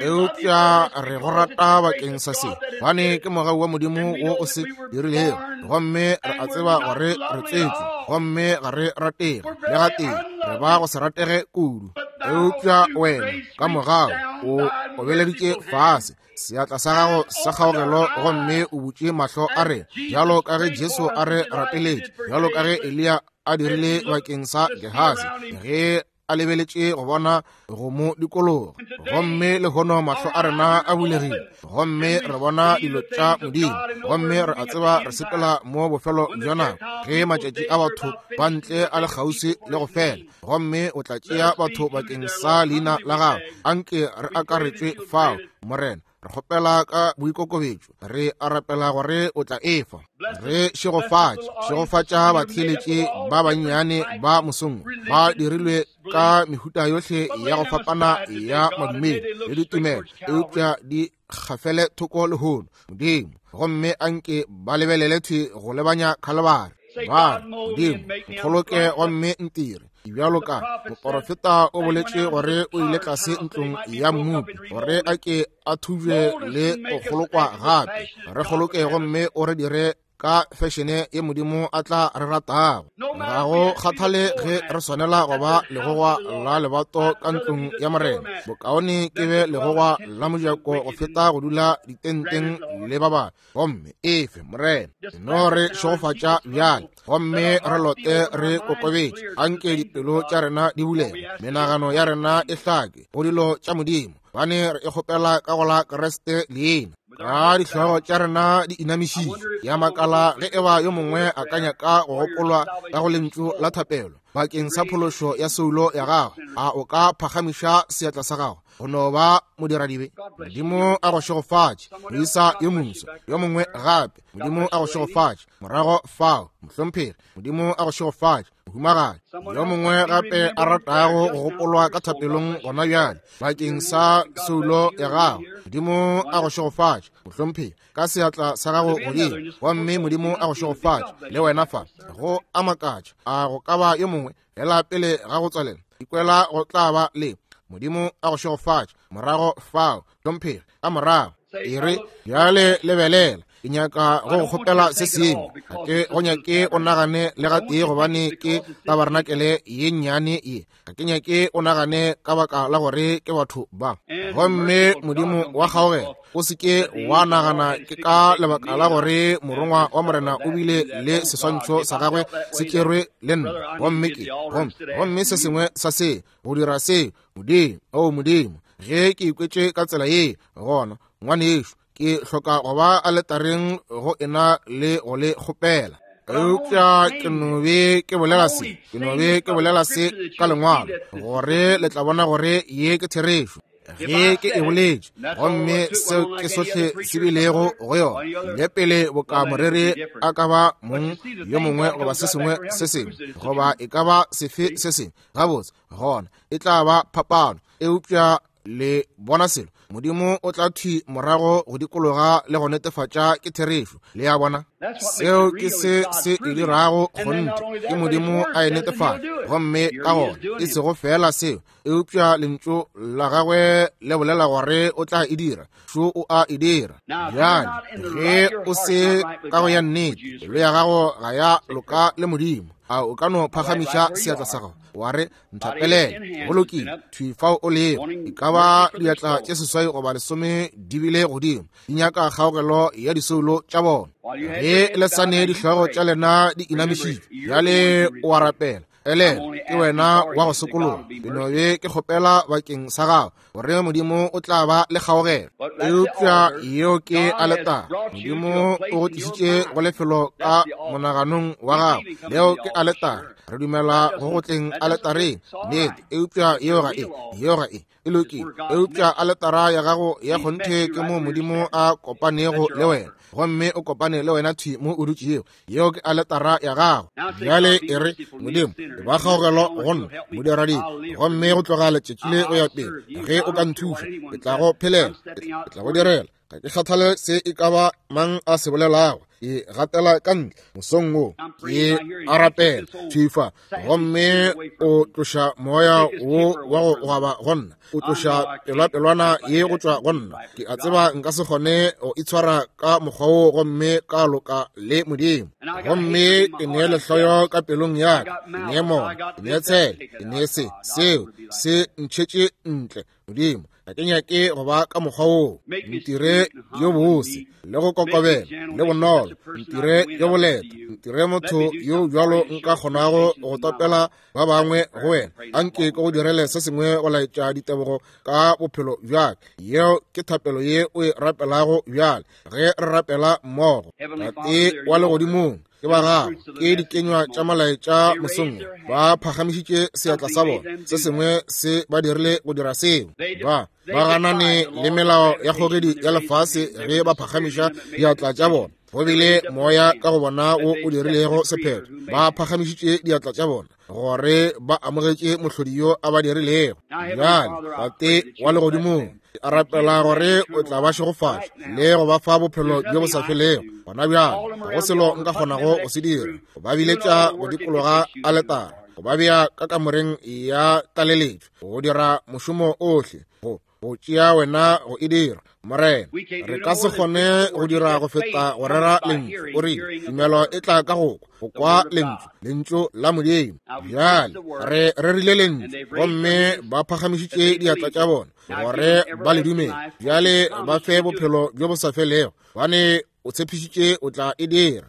S1: Eupša re go rata bakeng sa se, gobane ke mogau wa Modimo wo o se dirilego, gomme re a tseba gore re tsetšwe, gomme ga re ratege le gatee, re ba go se ratege kudu. Eupša wena ka mogau o obeleditše fase seatla sa gago sa kgaogelo, gomme o butše mahlo a rena, bjalo ka ge Jesu a re rapeletše, bjalo ka ge Eliya a dirile bakeng sa Gehasi ge a lebeletše go bona go mo dikologa. Gomme lehono mahlo a rena a bulegile, gomme re bona dilo tša Modimo, gomme re a tseba re sepela mo bofelo bja nako, ge matšatši a batho ba ntle a le kgauswi le go fela, gomme o tla tšea batho bakeng sa leina la gago. Anke re akaretšwe fao, Morena. Re kgopela ka boikokobetšo, re a rapela gore o tla efa. Re šegofatše, šegofatša batheeletši ba bannyane ba mosong, ba dirilwe ka mehuta yohle ya go fapana ya madumedi le ditumelo, eupša di gafele thoko lehono, Modimo, gomme anke ba lebelele thwi go lebanya Khalibari. Ba re, Modimo, nkgoloke gomme ntire bjalo ka moporofeta o boletše gore o ile tlase ntlong ya mmopi, gore a ke a thubje le go kgolokwa gape. Re kgoloke gomme o re dire ka fešene ye Modimo a tla re ratago. Ga go kgathale ge re swanela go ba legogwa la lebato ka ntlong ya Morena, bokaone ke be legogwa la mojako go feta go dula ditenteng le ba bangwe. Gomme efe, Morena, no re šegofatša bjale, gomme re lote re kokobetše. Anke dipelo tša rena di bulege, menagano ya rena e hlake go dilo tša Modimo, bane re e kgopela ka go la Kriste leina. Ka dihlogo tša rena di inamišitšwe, ya makala ge eba yo mongwe a ka nyaka go gopolwa ka go lentšu la thapelo bakeng sa phološo ya soulo ya gagwe, a o ka phagamiša seatla sa gago go no ba modiradibe? Modimo a go šegofatše, moisa yo moswa yo mongwe gape. Modimo a go šegofatše morago fao, mohlomphegi. Modimo a go šegofatše, mohumagadi. Yo mongwe gape a ratago go gopolwa ka thapelong gona bjale bakeng sa soulo ya gago, Modimo a go šegofatše, mohlomphegi, ka seatla sa gago godimo. Gomme Modimo a go šegofatše le wena fa. Go a makatša, a go ka ba yo mongwe fela pele ga go tswalela ikwela go tla ba le Modimo a go šegofatše morago fao, hlomphegi, ka morago. E re bjale lebelela, ke nyaka go go kgopela se sengwe. Ga ke go nyake o nagane le gatee gobane ke tabarnakele ye nnyane ye. Ga ke nyake o nagane ka baka la gore ke batho ba. Gomme Modimo wa kgaogelo, o se ke wa nagana ke ka lebaka la gore morongwa wa Morena o bile le seswantšho sa gagwe se tšerwe le nna. Gomme ke gomme gomme se sengwe sa se go dira se, Modimo, o Modimo, ge ke ikwetše ka tsela ye, gona ngwanešo, ke hloka go ba aletareng go ena le go le kgopela. Eupša ke no be ke bolela se, ke no be ke bolela se ka lengwalo, gore le tla bona gore ye ke therešo. Ge ke e boletše, gomme seo ke sohle se bilego go yona, le pele boka moreri a ka ba mong yo mongwe goba se sengwe se sengwe, goba e ka ba sefe se sengwe, gabotse gona e tla ba phapano. Eupša le bona selo, Modimo o tla thwi morago go dikologa le go netefatša ke therešo. Le ya bona, seo ke se se e dirago kgonthe, ke Modimo a e netefatša. Gomme ka gona e sego fela seo, eupša lentšu la gagwe le bolela gore o tla e dira, šo o a e dira. Bjale ge o se ka go ya nnete, pelo ya gago ga ya loka le Modimo, a o ka no phagamiša seatla sa gago wa re, nthapelele? Go lokile, thwi fao o lego. E ka ba diatla tše seswai goba lesome di bile godimo, di nyaka kgaogelo ya disoulo tša bona. Ge le sa ne dihlogo tša lena di inamišitšwe, bjale o a rapela. Elela, ke wena wa go sokologa. Ke no be ke kgopela bakeng sa gago gore Modimo o tla ba le kgaogelo. Eupša yeo ke aletara. Modimo o go tlišitše go lefelo ka monaganong wa gago. Leo ke aletara. Re dumela go go tleng aletareng, nnete. Eupša yeo ga e, yeo ga e, e lokile. Eupša aletara ya gago ya kgonthe ke mo Modimo a kopanego le wena, gomme o kopane le wena thwi mo o dutšego. Yeo ke aletara ya gago. Bjale e re, Modimo, e ba kgaogelo go nna, modiradibe, gomme go tloga letšatši le go ya pele, ge o ka nthuša, ke tla go phelela, ke tla go direla. Ga ke kgathale se e ka ba mang a se bolelago, ke gatela ka ntle mosong wo, ke a rapela thwi fa, gomme o tloša moya wo wa go gwaba go nna, o tloša pelwapelwana ye go tšwa go nna. Ke a tseba nka se kgone go itshwara ka mokgwa wo gomme ka loka le Modimo. Gomme ke nee lehloyo ka pelong ya ka, ke nee mona, ke nee tshele, ke nee se, seo se ntšhetše ntle. Modimo, ga ke nyake go ba ka mokgwa woo. Ntire yo bose le go kokobela le bonolo, ntire yo boleta, ntire motho yo bjalo nka kgonago go topela ba bangwe go wena. Anke ke go direle se sengwe go laetša ditebogo ka bophelo bja ka. Yeo ke thapelo ye o e rapelago bjale ge re rapela mmogo. Tate wa legodimong, ke ba gago, ke dikenywa tša molaetša mosong, ba phagamišitše seatla sa bona, se sengwe se ba dirile go dira seo. Ba ba ganane le melao ya kgogedi ya lefase ge ba phagamiša diatla tša bona. Go bile moya ka go bona wo o dirilego sephetho. Ba phagamišitše diatla tša bona gore ba amogetše mohlodi yo a ba dirilego. Bjale Tate wa legodimong, a rapela gore o tla ba šegofatša le go ba fa bophelo bjo bo sa felego gona bjale. Ga go selo nka kgonago go se dira, go ba biletša go dikologa aletara, go ba bea ka kamoreng ya tlaleletšo, go dira mošomo ohle, go go tšea wena go e dira. Morena, re ka se kgone go dira go feta go rera lentšu. O rile tumelo e tla ka go kwa, go kwa lentšu, lentšu la Modimo. Bjale re rerile lentšu, gomme ba phagamišitše diatla tša bona gore ba le dumele. Bjale ba fe bophelo bjo bo sa felego, gobane o tshepišitše o tla e dira.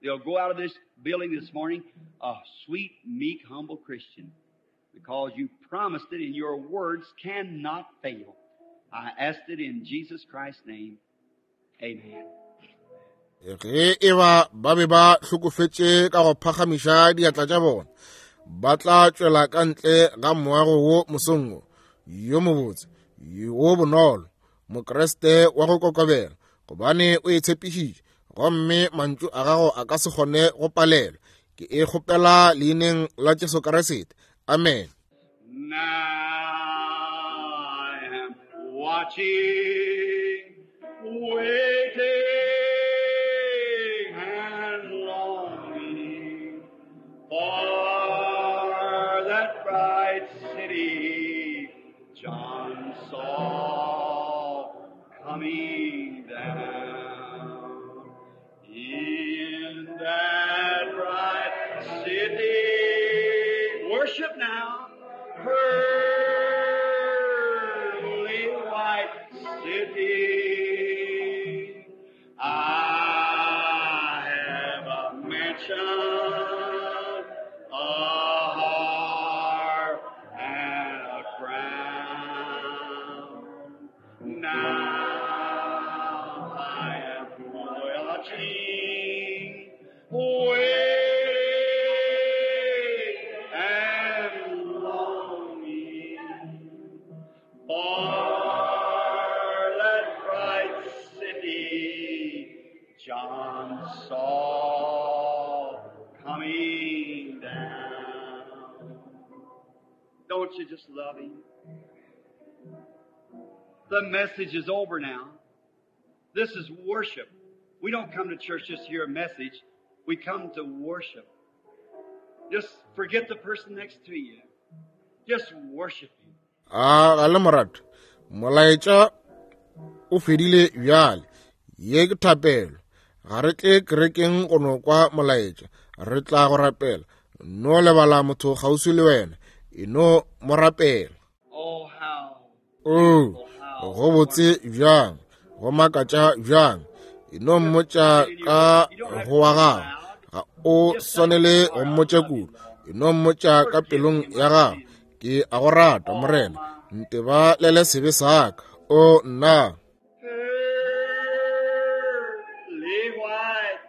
S2: They'll go out of this building this morning a sweet, meek, humble Christian, because you promised it and your words cannot fail. I asked it in Jesus Christ's name. Amen.
S3: Ge e ba ba be ba hlokofetše ka go phagamiša diatla tša bona, ba tla tšwela ka ntle ga moago wo mosong wo, yo mobotse, wo bonolo, Mokriste wa go kokobela, gobane o e tshepišitše, gomme mantšu a gago a ka se kgone go palelwa. Ke e kgopela leineng la Jesu Kriste. Amen.
S2: Now I am watching, waiting and longing for that bright city John saw coming down. In that bright city, worship now, pearly white city. I have a mansion, a harp, and a crown. Now I am watching, waiting, and longing for that bright city John saw coming down. Don't you just love him? The message is over now. This is worship. We don't come to church just to hear a message. We come to worship. Just forget the person next to you. Just worship him.
S3: A ga le morato, molaetša o fedile bjale. Ye ke thapelo. Ga re tle kerekeng go no kwa molaetša, re tla go rapela. No lebala motho kgauswi le wena, e no mo rapela.
S2: Oh, how
S3: O go botse bjang, go makatša bjang. E no mmotša ka go wa gago, ga o swanele go mmotša kudu. E no mmotša ka pelong ya gago, ke a go rata Morena, ntebalele sebe sa ka. O nna.
S2: Pearly white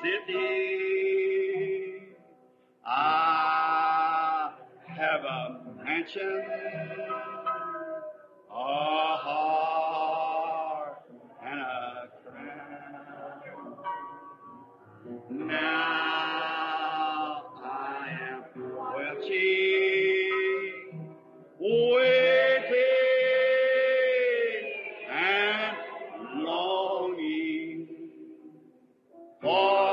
S2: city, I have a mansion, a harp, and a crown. Now I am watching, waiting, and longing for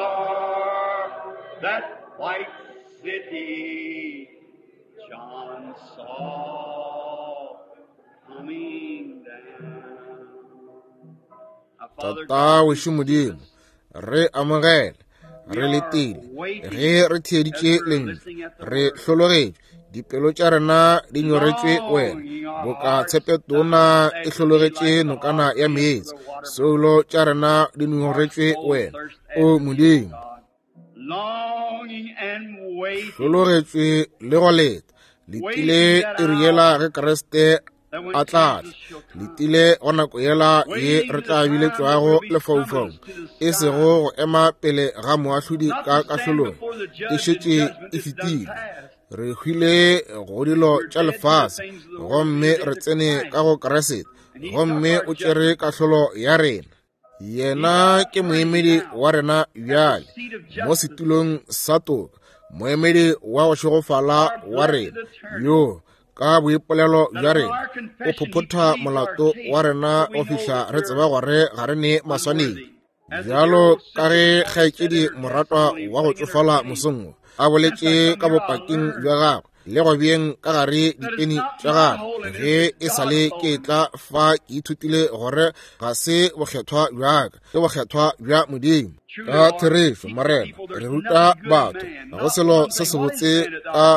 S2: that white city John saw coming down. Now, Father
S3: Tata wešo Modimo, re amogele, re letile, ge re theeditše lentšu, re hlologetšwe, dipelo tša rena di nyoretšwe wena, boka tshepetona e hlologetše nokana ya meetse, soulo tša rena di nyoretšwe wena, o Modimo.
S2: Longing and waiting
S3: Hlologetšwe le go leta, letile iri yela ge Kriste a tla tla, letile go nako yela ye re tla biletšwago lefaufaung, e sego go ema pele ga moahlodi ka kahlolong, e šetše e fetile. Re hwile go dilo tša lefase, gomme re tsene ka go Kriste, gomme o tšere kahlolo ya rena. Yena ke moemedi wa rena bjale mo setulong sa toka, moemedi wa go šegofala wa rena, yo ka boipolelo bja rena o phophotha molato wa rena go fihla re tseba gore ga re ne maswanedi. Bjalo ka ge kgaetšedi moratwa wa go tšofala mosong wo a boletše ka bopaking bja gagwe le go beeng ka gare dipeni tša gagwe, ge e sa le ke tla fa ke ithutile gore ga se bokgethwa bja ka, ke bokgethwa bja Modimo. Ka therešo, Morena, re ruta batho ga go selo se sebotse ka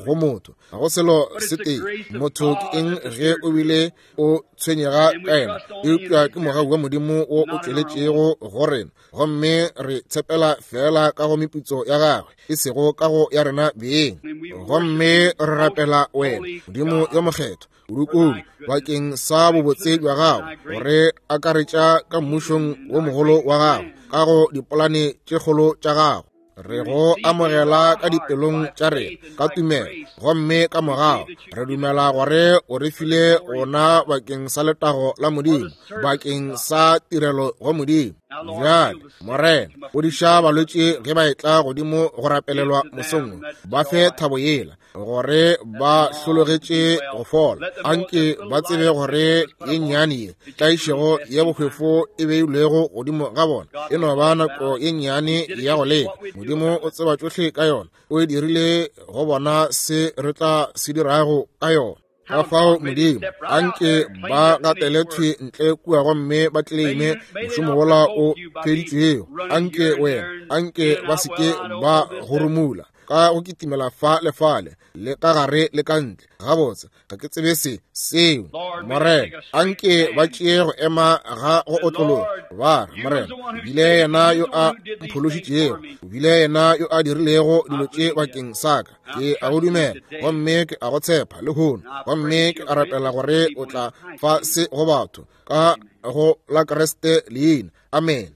S3: go motho, ga go selo se tee. Motho ke eng ge o bile o tshwenyega ka yena? Eupša ke mogau wa Modimo wo o tšweletšego go rena, gomme re tshepela fela ka go meputso ya gagwe, e sego ka go ya rena beng. Gomme re rapela wena, Modimo yo mokgethwa, kudu-kudu bakeng sa bobotse bja gago, gore akaretša ka mmušong wo mogolo wa gago, ka go dipolane tše kgolo tša gago. Re go amogela ka dipelong tša rena ka tumelo, gomme ka morago re dumela gore o re file ona bakeng sa letago la Modimo, bakeng sa tirelo go Modimo. Bjale, Morena, fodiša balwetši ge ba etla godimo go rapelelwa mosong, ba fe thabo yela gore ba hlologetše go fola. Anke ba tsebe gore ye nnyane ye tlaišego ye bohwefo e beilwego godimo ga bona e no ba nako ye nnyane ya go leka. Modimo o tseba tšohle ka yona, o e dirile go bona se re tla se dirago ka yona. Ka fao Modimo, anke ba gatele thwi ntle kua gomme ba tleleime mošomo wola o feditšwego. Anke wena, anke ba se ke ba goromula ka go kitimela fa le fale, le ka gare le ka ntle. Gabotse, ga ke tsebe se seo. Morena, anke ba tšee go ema ga go otlologa. Ba re, Morena, o bile yena yo a mphološitšego, o bile yena yo a dirilego dilo tše bakeng sa ka. Ke a go dumela, gomme ke a go tshepa lehono, gomme ke a rapela gore o tla fa se go batho ka go la Kriste leina. Amen.